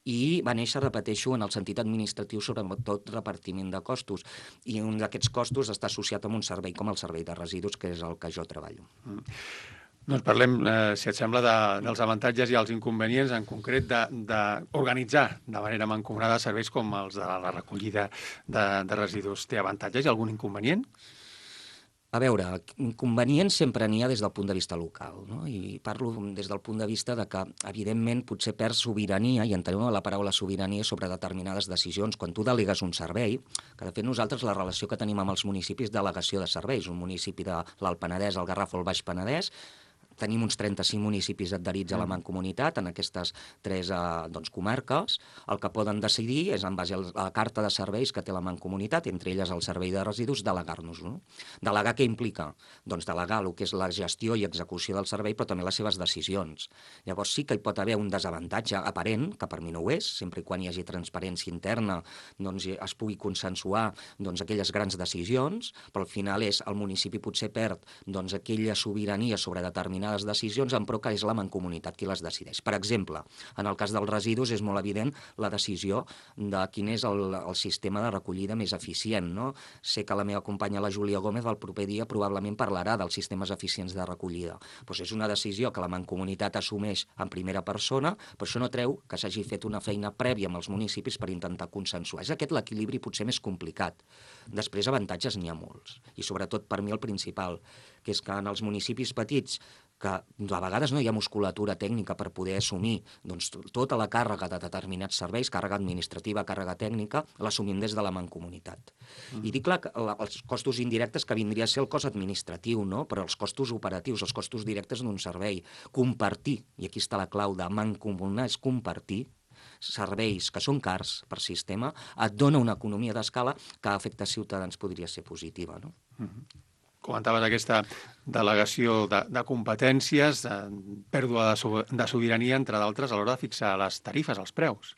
i va néixer, repeteixo, en el sentit administratiu, sobretot repartiment de costos. I un d'aquests costos està associat amb un servei com el servei de residus, que és el que jo treballo. Mm. Doncs parlem, eh, si et sembla, de, dels avantatges i els inconvenients, en concret d'organitzar de, de manera mancomunada serveis com els de la recollida de, de residus. Té avantatges i algun inconvenient? A veure, inconvenients sempre n'hi ha des del punt de vista local, no? I parlo des del punt de vista de que, evidentment, potser perds sobirania, i entenem la paraula sobirania sobre determinades decisions. Quan tu delegues un servei, que de fet nosaltres la relació que tenim amb els municipis és delegació de serveis, un municipi de l'Alt Penedès, el Garraf o el Baix Penedès, tenim uns trenta-cinc municipis adherits a la Mancomunitat en aquestes tres eh, doncs, comarques. El que poden decidir és, en base a la carta de serveis que té la Mancomunitat, entre elles el servei de residus, delegar-nos-ho. Delegar què implica? Doncs delegar el que és la gestió i execució del servei, però també les seves decisions. Llavors sí que hi pot haver un desavantatge aparent, que per mi no ho és, sempre i quan hi hagi transparència interna, doncs es pugui consensuar doncs, aquelles grans decisions, però al final és el municipi potser perd doncs, aquella sobirania sobre determinades decisions, en pro que és la Mancomunitat qui les decideix. Per exemple, en el cas dels residus és molt evident la decisió de quin és el, el sistema de recollida més eficient. No? Sé que la meva companya, la Júlia Gómez, el proper dia probablement parlarà dels sistemes eficients de recollida. Pues és una decisió que la Mancomunitat assumeix en primera persona, però això no treu que s'hagi fet una feina prèvia amb els municipis per intentar consensuar. És aquest l'equilibri potser més complicat. Després, avantatges n'hi ha molts. I sobretot, per mi, el principal, que és que en els municipis petits, que a vegades no hi ha musculatura tècnica per poder assumir doncs, tota la càrrega de determinats serveis, càrrega administrativa, càrrega tècnica, l'assumim des de la Mancomunitat. Mm. I dic clar, que els costos indirectes que vindria a ser el cost administratiu, no? Però els costos operatius, els costos directes d'un servei, compartir, i aquí està la clau de mancomunar, és compartir serveis que són cars per sistema, et dona una economia d'escala que a efectes ciutadans podria ser positiva, no? Mm-hmm. Comentaves aquesta delegació de, de competències, de pèrdua de, so, de sobirania, entre d'altres, a l'hora de fixar les tarifes, els preus.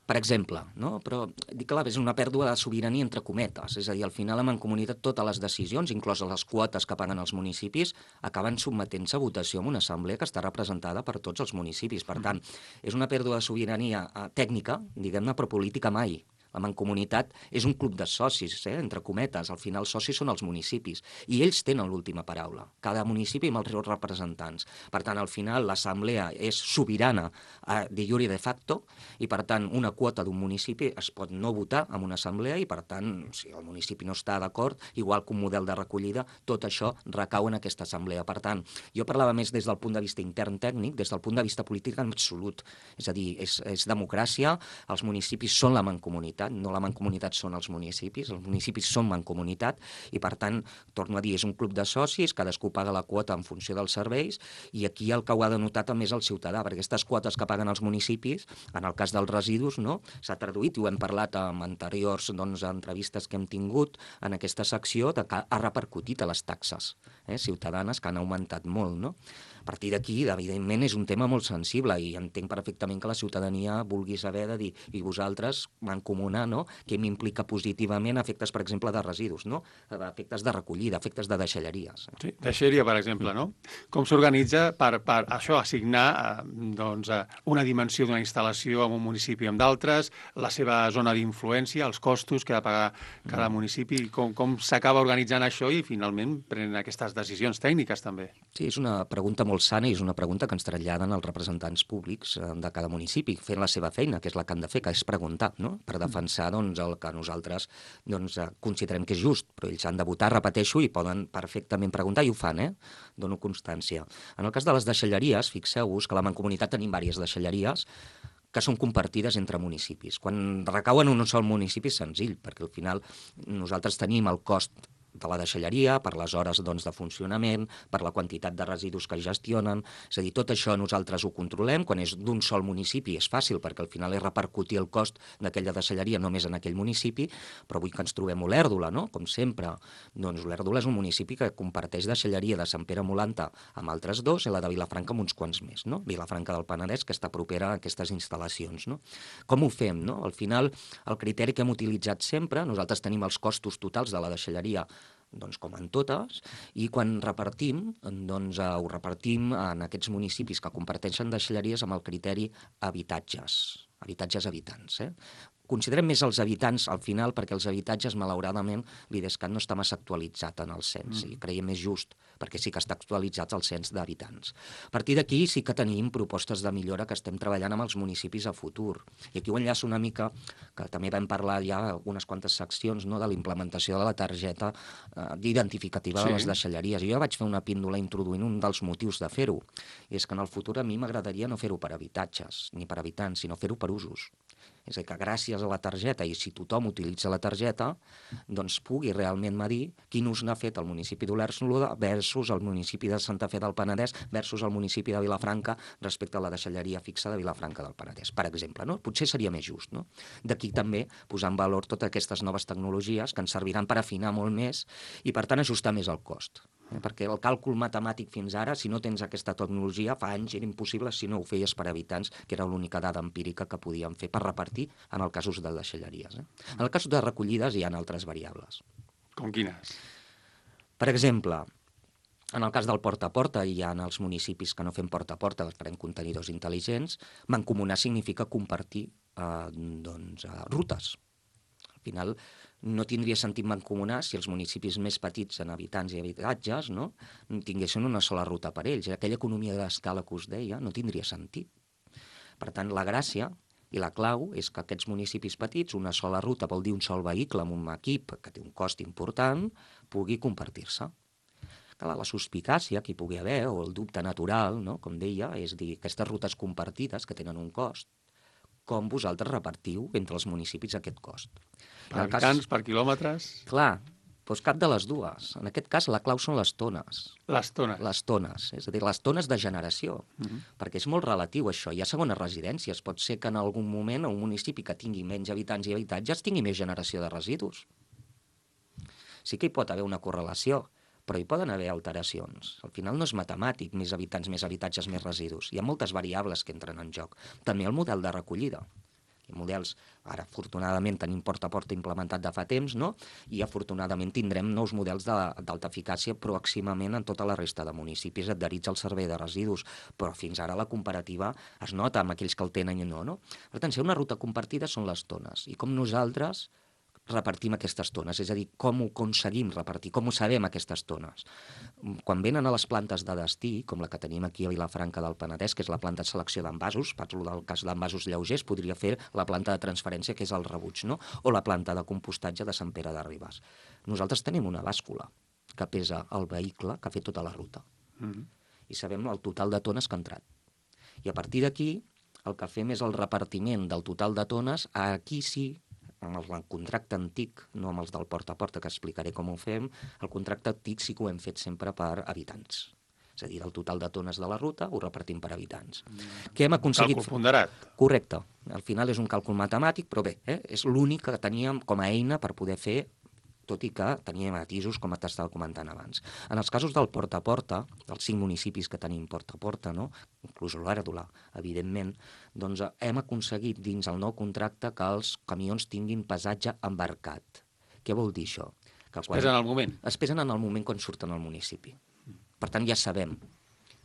Per exemple, no? Però dic que és una pèrdua de sobirania entre cometes, és a dir, al final la mancomunitat totes les decisions, incloses les quotes que paguen els municipis, acaben sotmetent-se a votació en una assemblea que està representada per tots els municipis. Per tant, és una pèrdua de sobirania eh, tècnica, diguem-ne, però política mai. La mancomunitat és un club de socis, eh, entre cometes. Al final, els socis són els municipis. I ells tenen l'última paraula. Cada municipi amb els seus representants. Per tant, al final, l'assemblea és sobirana eh, de jure de facto i, per tant, una quota d'un municipi es pot no votar en una assemblea i, per tant, si el municipi no està d'acord, igual que un model de recollida, tot això recau en aquesta assemblea. Per tant, jo parlava més des del punt de vista intern tècnic, des del punt de vista polític en absolut. És a dir, és, és democràcia, els municipis són la mancomunitat, no la mancomunitat són els municipis, els municipis són mancomunitat i, per tant, torno a dir, és un club de socis, cadascú paga la quota en funció dels serveis i aquí el que ho ha de notar també és el ciutadà, perquè aquestes quotes que paguen els municipis, en el cas dels residus, no, s'ha traduït, i ho hem parlat en anteriors doncs, entrevistes que hem tingut en aquesta secció, de que ha repercutit a les taxes eh, ciutadanes, que han augmentat molt, no? A partir d'aquí, evidentment, és un tema molt sensible i entenc perfectament que la ciutadania vulgui saber de dir, i vosaltres, mancomunar, no? Què m'implica positivament efectes, per exemple, de residus, no? Efectes de recollida, efectes de deixalleries. Sí, deixalleria, per exemple, no? Com s'organitza per, per això, assignar eh, doncs, una dimensió d'una instal·lació en un municipi amb d'altres, la seva zona d'influència, els costos que ha de pagar cada municipi, com, com s'acaba organitzant això i finalment prenen aquestes decisions tècniques també? Sí, és una pregunta molt sana i és una pregunta que ens traslladen els representants públics de cada municipi, fent la seva feina, que és la que han de fer, que és preguntar, no? Per defensar doncs, el que nosaltres doncs, considerem que és just, però ells han de votar, repeteixo, i poden perfectament preguntar, i ho fan, eh? Dono constància. En el cas de les deixalleries, fixeu-vos que a la mancomunitat tenim diverses deixalleries que són compartides entre municipis. Quan recauen en un sol municipi és senzill, perquè al final nosaltres tenim el cost de la deixalleria, per les hores doncs, de funcionament, per la quantitat de residus que gestionen. És a dir, tot això nosaltres ho controlem. Quan és d'un sol municipi és fàcil, perquè al final és repercutir el cost d'aquella deixalleria només en aquell municipi, però avui que ens trobem Olèrdola, no? Com sempre, doncs Olèrdola és un municipi que comparteix deixalleria de Sant Pere Molanta amb altres dos i la de Vilafranca amb uns quants més, no? Vilafranca del Penedès, que està propera a aquestes instal·lacions, no? Com ho fem, no? Al final, el criteri que hem utilitzat sempre, nosaltres tenim els costos totals de la deixalleria doncs com en totes, i quan repartim, doncs eh, ho repartim en aquests municipis que comparteixen deixalleries amb el criteri habitatges, habitatges habitants, eh? Considerem més els habitants al final perquè els habitatges, malauradament, l'IDESCAT no està massa actualitzat en el cens mm. i creiem més just perquè sí que està actualitzat el cens d'habitants. A partir d'aquí sí que tenim propostes de millora que estem treballant amb els municipis a futur. I aquí ho enllaço una mica, que també vam parlar ja unes quantes seccions no, de la implementació de la targeta eh, identificativa sí. de les deixalleries. I jo vaig fer una píndola introduint un dels motius de fer-ho. I és que en el futur a mi m'agradaria no fer-ho per habitatges ni per habitants, sinó fer-ho per usos. És a dir, que gràcies a la targeta, i si tothom utilitza la targeta, doncs pugui realment medir quin ús n'ha fet el municipi d'Olèrdola versus el municipi de Santa Fe del Penedès versus el municipi de Vilafranca respecte a la deixalleria fixa de Vilafranca del Penedès, per exemple. No? Potser seria més just. No? D'aquí també posar en valor totes aquestes noves tecnologies que ens serviran per afinar molt més i, per tant, ajustar més el cost. Eh? Perquè el càlcul matemàtic fins ara, si no tens aquesta tecnologia, fa anys era impossible si no ho feies per habitants, que era l'única dada empírica que podíem fer per repartir en el casos de deixalleries. Eh? En el cas de recollides hi ha altres variables. Com quines? Per exemple, en el cas del porta a porta, hi ha en els municipis que no fem porta a porta, farem contenidors intel·ligents, mancomunar significa compartir eh, doncs, eh, rutes. Al final, no tindria sentit mancomunar si els municipis més petits en habitants i habitatges no, tinguessin una sola ruta per ells. Aquella economia d'escala que us deia no tindria sentit. Per tant, la gràcia i la clau és que aquests municipis petits, una sola ruta vol dir un sol vehicle amb un equip que té un cost important, pugui compartir-se. Clar, la suspicàcia que hi pugui haver, o el dubte natural, no, com deia, és dir, aquestes rutes compartides que tenen un cost, com vosaltres repartiu entre els municipis aquest cost. Per habitants, cas, per quilòmetres? Clar, doncs cap de les dues. En aquest cas, la clau són les tones. Les tones? Les tones, és a dir, les tones de generació. Uh-huh. Perquè és molt relatiu, això. Hi ha segones residències. Pot ser que en algun moment un municipi que tingui menys habitants i habitatges tingui més generació de residus. Sí que hi pot haver una correlació, però hi poden haver alteracions. Al final no és matemàtic, més habitants, més habitatges, més residus. Hi ha moltes variables que entren en joc. També el model de recollida. models, ara afortunadament tenim porta a porta implementat de fa temps, no? I afortunadament tindrem nous models d'alta eficàcia pròximament en tota la resta de municipis adherits al servei de residus, però fins ara la comparativa es nota amb aquells que el tenen i no, no? Per tant, si una ruta compartida són les tones, i com nosaltres repartim aquestes tones, és a dir, com ho aconseguim repartir, com ho sabem aquestes tones. Quan venen a les plantes de destí, com la que tenim aquí a Vilafranca del Penedès, que és la planta de selecció d'envasos, parlo del cas d'envasos lleugers, podria fer la planta de transferència, que és el rebuig, no? O la planta de compostatge de Sant Pere de Ribes. Nosaltres tenim una bàscula que pesa el vehicle que ha fet tota la ruta. Mm-hmm. I sabem el total de tones que ha entrat. I a partir d'aquí, el que fem és el repartiment del total de tones, aquí sí, amb el contracte antic, no amb els del porta a porta, que explicaré com ho fem, el contracte antic sí que ho hem fet sempre per habitants. És a dir, del total de tones de la ruta ho repartim per habitants. Mm. Què hem aconseguit? Càlcul ponderat. Correcte. Al final és un càlcul matemàtic, però bé, eh? és l'únic que teníem com a eina per poder fer, tot i que teníem matisos, com t'estava comentant abans. En els casos del porta a porta, dels cinc municipis que tenim porta a porta, no? Inclús l'Òrdola, evidentment, doncs hem aconseguit dins el nou contracte que els camions tinguin pesatge embarcat. Què vol dir això? Que quan... Es pesen al moment? Es pesen en el moment quan surten al municipi. Per tant, ja sabem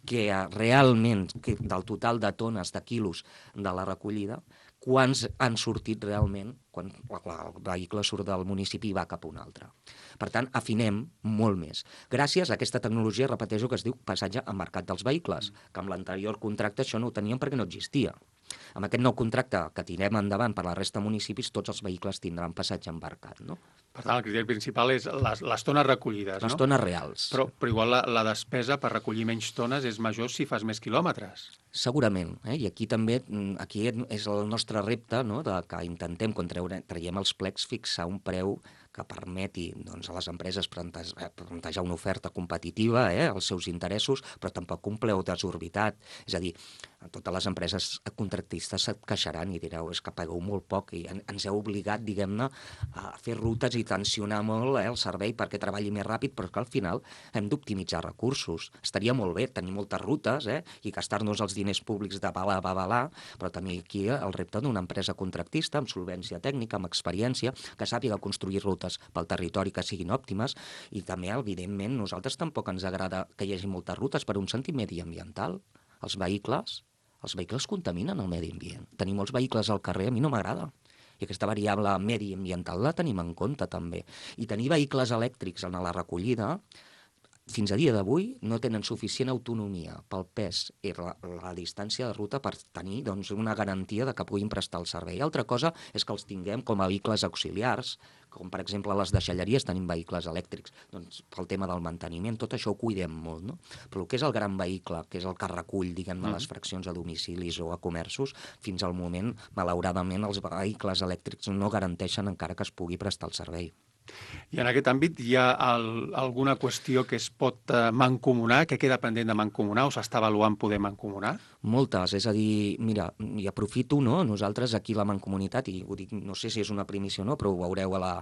que realment, que del total de tones, de quilos de la recollida, quants han sortit realment quan el vehicle surt del municipi i va cap a un altre. Per tant, afinem molt més. Gràcies a aquesta tecnologia, repeteixo, que es diu passatge embarcat dels vehicles, que amb l'anterior contracte això no ho teníem perquè no existia. Amb aquest nou contracte que tirem endavant per la resta de municipis, tots els vehicles tindran passatge embarcat, no? Per tant, el criteri principal és les, les tones recollides, les no? tones reals. Però, però igual la, la despesa per recollir menys tones és major si fas més quilòmetres. Segurament, eh? I aquí també aquí és el nostre repte, no? De que intentem, quan treure, traiem els plecs, fixar un preu que permeti doncs, a les empreses plantejar una oferta competitiva eh, als seus interessos, però tampoc un preu desorbitat. És a dir, totes les empreses contractistes se't queixaran i direu és que pagueu molt poc i ens heu obligat, diguem-ne, a fer rutes i tensionar molt eh, el servei perquè treballi més ràpid, però que al final hem d'optimitzar recursos. Estaria molt bé tenir moltes rutes eh, i gastar-nos els diners públics de bala a babalà, però també aquí el repte d'una empresa contractista amb solvència tècnica, amb experiència, que sàpiga construir rutes pel territori que siguin òptimes i també, evidentment, nosaltres tampoc ens agrada que hi hagi moltes rutes per un sentit mediambiental. Els vehicles, els vehicles contaminen el medi ambient. Tenir molts vehicles al carrer a mi no m'agrada. I aquesta variable mediambiental la tenim en compte també. I tenir vehicles elèctrics en la recollida fins a dia d'avui no tenen suficient autonomia pel pes i la, la distància de ruta per tenir doncs, una garantia de que puguin prestar el servei. Altra cosa és que els tinguem com a vehicles auxiliars, com per exemple a les deixalleries tenim vehicles elèctrics, doncs pel tema del manteniment, tot això ho cuidem molt, no? Però el que és el gran vehicle, que és el que recull, diguem-ne, mm. les fraccions a domicilis o a comerços, fins al moment, malauradament, els vehicles elèctrics no garanteixen encara que es pugui prestar el servei. I en aquest àmbit hi ha el, alguna qüestió que es pot eh, mancomunar, que queda pendent de mancomunar o s'està avaluant poder mancomunar? Moltes, és a dir, mira, i aprofito, no? Nosaltres aquí la Mancomunitat, i ho dic, no sé si és una primícia o no, però ho veureu a la,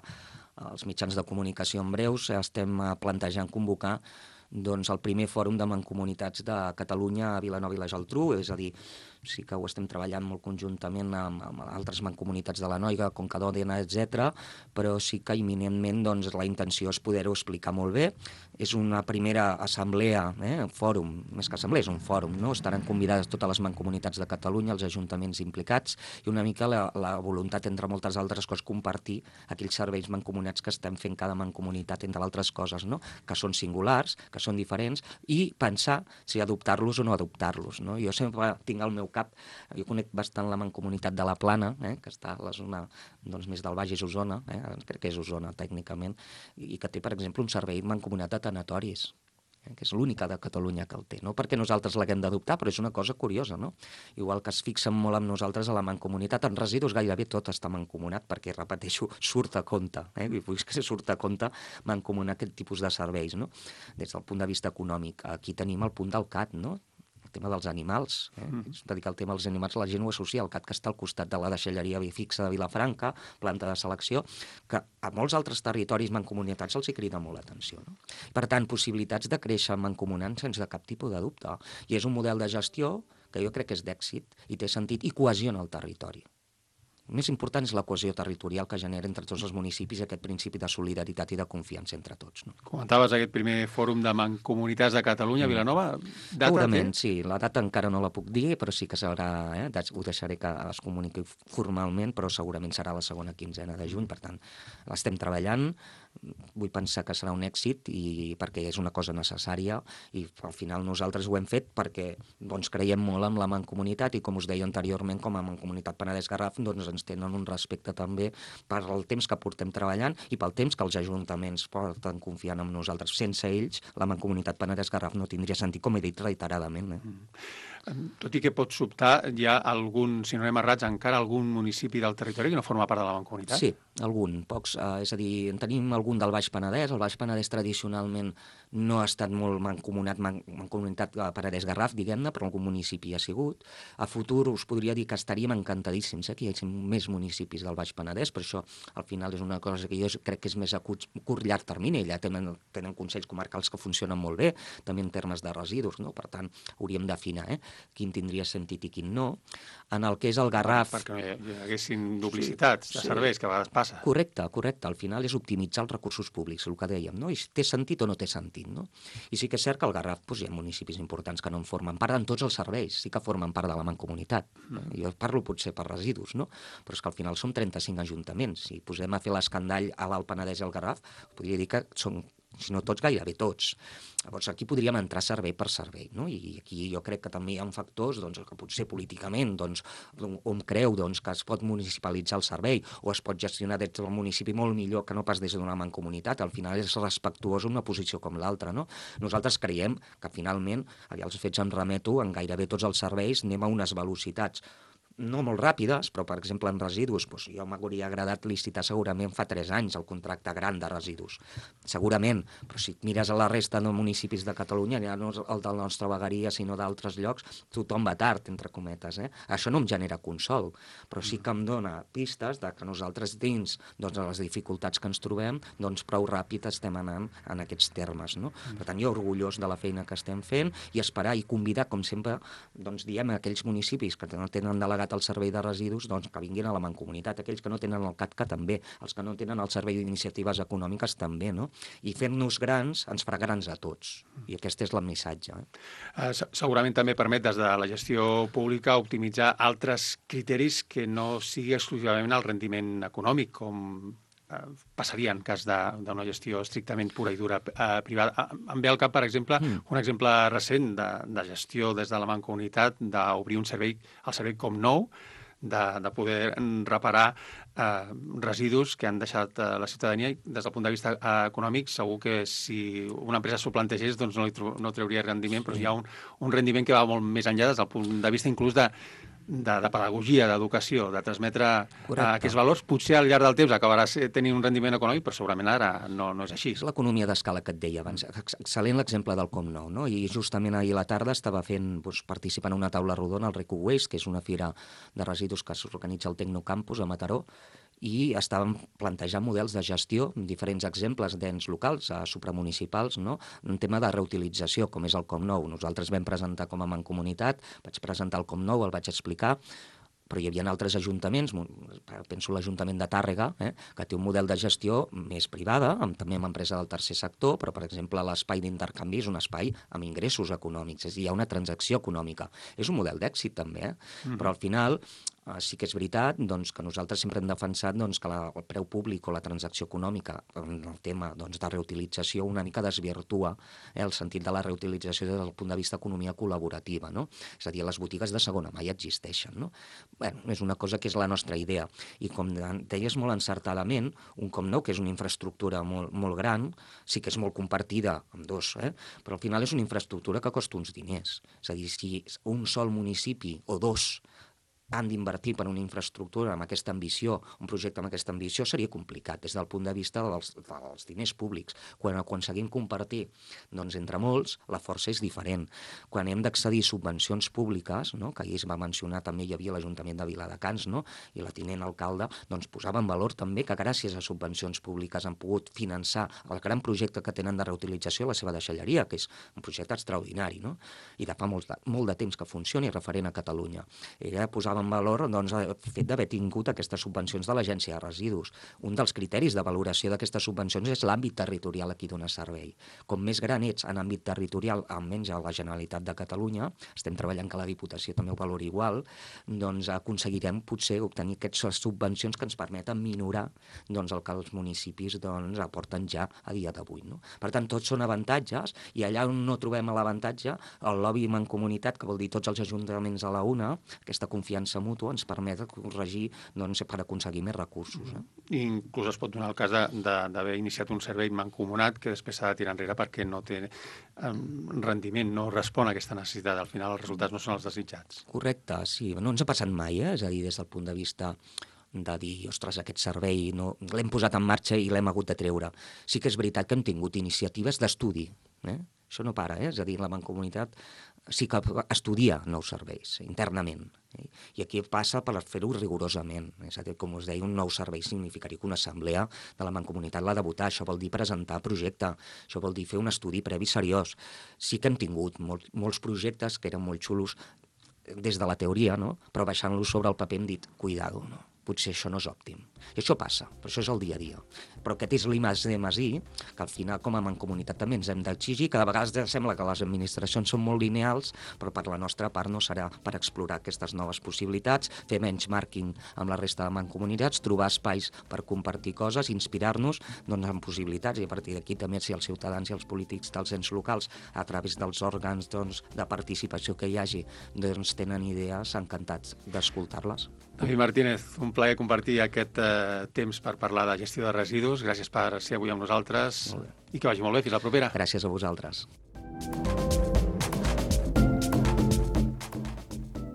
als mitjans de comunicació en breus, estem plantejant convocar doncs, el primer fòrum de mancomunitats de Catalunya a Vilanova i la Geltrú, és a dir, sí que ho estem treballant molt conjuntament amb, amb altres mancomunitats de la Noia, Conca d'Òdena, etcètera, però sí que imminentment doncs, la intenció és poder-ho explicar molt bé. És una primera assemblea, eh, fòrum, més que assemblea, és un fòrum, no? Estaran convidades totes les mancomunitats de Catalunya, els ajuntaments implicats, i una mica la, la voluntat, entre moltes altres coses, compartir aquells serveis mancomunats que estem fent cada mancomunitat, entre altres coses, no? Que són singulars, que són diferents, i pensar si adoptar-los o no adoptar-los, no? Jo sempre tinc al meu cap, jo conec bastant la mancomunitat de la Plana, eh, que està a la zona doncs, més del Baix Osona, eh, crec que és Osona tècnicament, i que té, per exemple, un servei mancomunat de tanatoris, eh, que és l'única de Catalunya que el té, no perquè nosaltres l'haguem d'adoptar, però és una cosa curiosa, no? Igual que es fixen molt amb nosaltres a la mancomunitat, en residus gairebé tot està mancomunat, perquè, repeteixo, surt a compte, eh? I vull que surt a compte mancomunar aquest tipus de serveis, no? Des del punt de vista econòmic. Aquí tenim el punt del C A T, no? El tema dels animals, eh? Mm. És dedicar el tema als animals, la gent ho associa al C A T que està al costat de la deixalleria fixa de Vilafranca, planta de selecció, que a molts altres territoris mancomunitats els hi crida molt l'atenció, no? Per tant, possibilitats de créixer mancomunant sense cap tipus de dubte. I és un model de gestió que jo crec que és d'èxit i té sentit i cohesiona el territori. El més important és la cohesió territorial que genera entre tots els municipis aquest principi de solidaritat i de confiança entre tots. No? Comentaves aquest primer fòrum de mancomunitats de Catalunya, mm. Vilanova. Data Segurament, té? sí. La data encara no la puc dir, però sí que serà, eh, ho deixaré que es comuniqui formalment, però segurament serà la segona quinzena de juny, per tant, l'estem treballant. Vull pensar que serà un èxit i perquè és una cosa necessària i al final nosaltres ho hem fet perquè doncs, creiem molt en la mancomunitat i com us deia anteriorment, com a Mancomunitat Penedès-Garraf doncs, ens tenen un respecte també per el temps que portem treballant i pel temps que els ajuntaments porten confiant en nosaltres. Sense ells, la Mancomunitat Penedès-Garraf no tindria sentit, com he dit reiteradament. Eh? Mm. Tot i que pot sobtar, hi ha algun, si no anem errats, encara algun municipi del territori que no forma part de la mancomunitat? Sí, algun, pocs. Eh, és a dir, en tenim algun del Baix Penedès. El Baix Penedès tradicionalment no ha estat molt mancomunat, man, mancomunitat Penedès-Garraf, diguem-ne, però algun municipi ha sigut. A futur us podria dir que estaríem encantadíssims eh, que hi hagi més municipis del Baix Penedès, per això al final és una cosa que jo crec que és més a curt, curt llarg termini. Allà tenen, tenen consells comarcals que funcionen molt bé, també en termes de residus, no? Per tant, hauríem d'afinar eh, quin tindria sentit i quin no. En el que és el Garraf... Perquè no hi haguessin duplicitats sí, de serveis, sí. Que a vegades passa. Correcte, correcte. Al final és optimitzar els recursos públics, el que dèiem, no? I té sentit o no té sentit, no? I sí que és cert que al Garraf doncs, hi ha municipis importants que no en formen part en tots els serveis, sí que formen part de la mancomunitat. No? Jo parlo potser per residus, no? Però és que al final som trenta-cinc ajuntaments. Si posem a fer l'escandall a l'Alt Penedès i al Garraf, podria dir que són, si no tots, gairebé tots. Llavors aquí podríem entrar servei per servei, no? I aquí jo crec que també hi ha factors doncs, que potser políticament doncs, on creu doncs, que es pot municipalitzar el servei o es pot gestionar des del municipi molt millor que no pas des d'una mancomunitat. Al final és respectuós una posició com l'altra, no? Nosaltres creiem que finalment, allà els fets em remeto, en gairebé tots els serveis anem a unes velocitats no molt ràpides, però, per exemple, en residus, doncs, jo m'hauria agradat licitar segurament fa tres anys el contracte gran de residus. Segurament, però si mires a la resta de municipis de Catalunya, ja no el de la nostra vegueria, sinó d'altres llocs, tothom va tard, entre cometes. Eh? Això no em genera consol, però sí que em dona pistes de que nosaltres dins doncs, les dificultats que ens trobem, doncs prou ràpid estem anant en aquests termes. No? Per tant, jo orgullós de la feina que estem fent i esperar i convidar, com sempre, doncs, diem a aquells municipis que no tenen delegat el servei de residus, doncs que vinguin a la mancomunitat. Aquells que no tenen el CATCA també, els que no tenen el servei d'iniciatives econòmiques també, no? I fent-nos grans ens farà grans a tots. I aquest és el missatge. Eh? Uh, segurament també permet des de la gestió pública optimitzar altres criteris que no sigui exclusivament el rendiment econòmic, com passaria en cas d'una gestió estrictament pura i dura eh, privada. Em ve al cap, per exemple, mm. un exemple recent de, de gestió des de la mancomunitat d'obrir un servei, el servei Comnou, de, de poder reparar eh, residus que han deixat eh, la ciutadania i des del punt de vista eh, econòmic segur que si una empresa s'ho plantegés doncs no, li no trauria rendiment, però sí. Hi ha un, un rendiment que va molt més enllà des del punt de vista inclús de De, de pedagogia, d'educació, de transmetre uh, aquests valors, potser al llarg del temps acabarà tenint un rendiment econòmic, però segurament ara no, no és així. És l'economia d'escala que et deia abans. Excel·lent l'exemple del Comnou, no? I justament ahir a la tarda estava fent, doncs, participant en una taula rodona al RecuWaste, que és una fira de residus que s'organitza al Tecnocampus a Mataró, i estàvem plantejant models de gestió, diferents exemples d'ens locals, eh, supramunicipals, no? Un tema de reutilització, com és el Comnou. Nosaltres vam presentar com a mancomunitat, vaig presentar el Comnou, el vaig explicar, però hi havia altres ajuntaments, penso l'Ajuntament de Tàrrega, eh, que té un model de gestió més privada, amb, també amb empresa del tercer sector, però, per exemple, l'espai d'intercanvi és un espai amb ingressos econòmics, és a dir, hi ha una transacció econòmica. És un model d'èxit, també, eh? Mm. Però al final eh, sí que és veritat doncs, que nosaltres sempre hem defensat doncs, que la, el preu públic o la transacció econòmica, en el tema doncs, de reutilització, una mica desvirtua eh, el sentit de la reutilització des del punt de vista economia col·laborativa, no? És a dir, les botigues de segona mà ja existeixen, no? Bueno, és una cosa que és la nostra idea. I com deies molt encertadament, un Comnou, que és una infraestructura molt, molt gran, sí que és molt compartida amb dos, eh? Però al final és una infraestructura que costa uns diners. És a dir, si un sol municipi o dos han d'invertir per una infraestructura amb aquesta ambició, un projecte amb aquesta ambició, seria complicat des del punt de vista dels, dels diners públics. Quan aconseguim compartir doncs, entre molts, la força és diferent. Quan hem d'accedir a subvencions públiques, no? Que ahir es va mencionar, també hi havia l'Ajuntament de Viladecans, no? I la tinent alcalde doncs, posava en valor també que gràcies a subvencions públiques han pogut finançar el gran projecte que tenen de reutilització a la seva deixalleria, que és un projecte extraordinari, no? I de fa molt de, molt de temps que funciona i referent a Catalunya. Ella posava posava en valor doncs, el fet d'haver tingut aquestes subvencions de l'Agència de Residus. Un dels criteris de valoració d'aquestes subvencions és l'àmbit territorial a qui dona servei. Com més gran ets en àmbit territorial, almenys a la Generalitat de Catalunya, estem treballant que la Diputació també ho valori igual, doncs aconseguirem potser obtenir aquestes subvencions que ens permeten minorar doncs, el que els municipis doncs, aporten ja a dia d'avui. No? Per tant, tots són avantatges, i allà on no trobem l'avantatge, el lobby mancomunitat, que vol dir tots els ajuntaments a la una, aquesta confiança mútua ens permet corregir doncs, per aconseguir més recursos. Eh? I inclús es pot donar el cas d'haver iniciat un servei mancomunat que després s'ha de tirar enrere perquè no té um, rendiment, no respon a aquesta necessitat. Al final els resultats no són els desitjats. Correcte, sí. No ens ha passat mai, eh? És a dir, des del punt de vista de dir, ostres, aquest servei no... l'hem posat en marxa i l'hem hagut de treure. Sí que és veritat que hem tingut iniciatives d'estudi. Eh? Això no para, eh? És a dir, la Mancomunitat sí que estudia nous serveis internament. Eh? I aquí passa per fer-ho rigorosament. És a dir, com us deia, un nou servei significaria que una assemblea de la Mancomunitat l'ha de votar. Això vol dir presentar projecte, això vol dir fer un estudi previ seriós. Sí que hem tingut molt, molts projectes que eren molt xulos des de la teoria, no? Però baixant-los sobre el paper hem dit, cuidado, no? Potser això no és òptim. I això passa, però això és el dia a dia. Però aquest és l'I més D més I, que al final com a mancomunitat també ens hem d'exigir, que de vegades sembla que les administracions són molt lineals, però per la nostra part no serà per explorar aquestes noves possibilitats, fer benchmarking amb la resta de mancomunitats, trobar espais per compartir coses, inspirar-nos doncs, en possibilitats, i a partir d'aquí també si els ciutadans i els polítics dels ens locals, a través dels òrgans doncs, de participació que hi hagi, doncs, tenen idees, encantats d'escoltar-les. David Martínez, un plaer compartir aquest eh, temps per parlar de gestió de residus. Gràcies per ser avui amb nosaltres i que vagi molt bé. Fins la propera. Gràcies a vosaltres.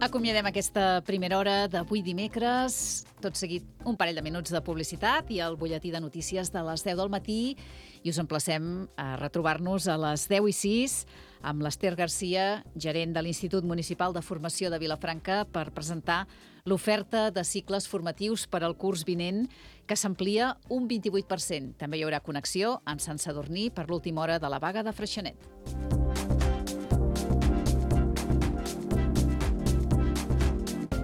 Acomiadem aquesta primera hora d'avui dimecres. Tot seguit, un parell de minuts de publicitat i el butlletí de notícies de les deu del matí. I us emplacem a retrobar-nos a les deu i sis amb l'Ester Garcia, gerent de l'Institut Municipal de Formació de Vilafranca, per presentar l'oferta de cicles formatius per al curs vinent, que s'amplia un vint-i-vuit per cent. També hi haurà connexió amb Sant Sadurní per l'última hora de la vaga de Freixenet.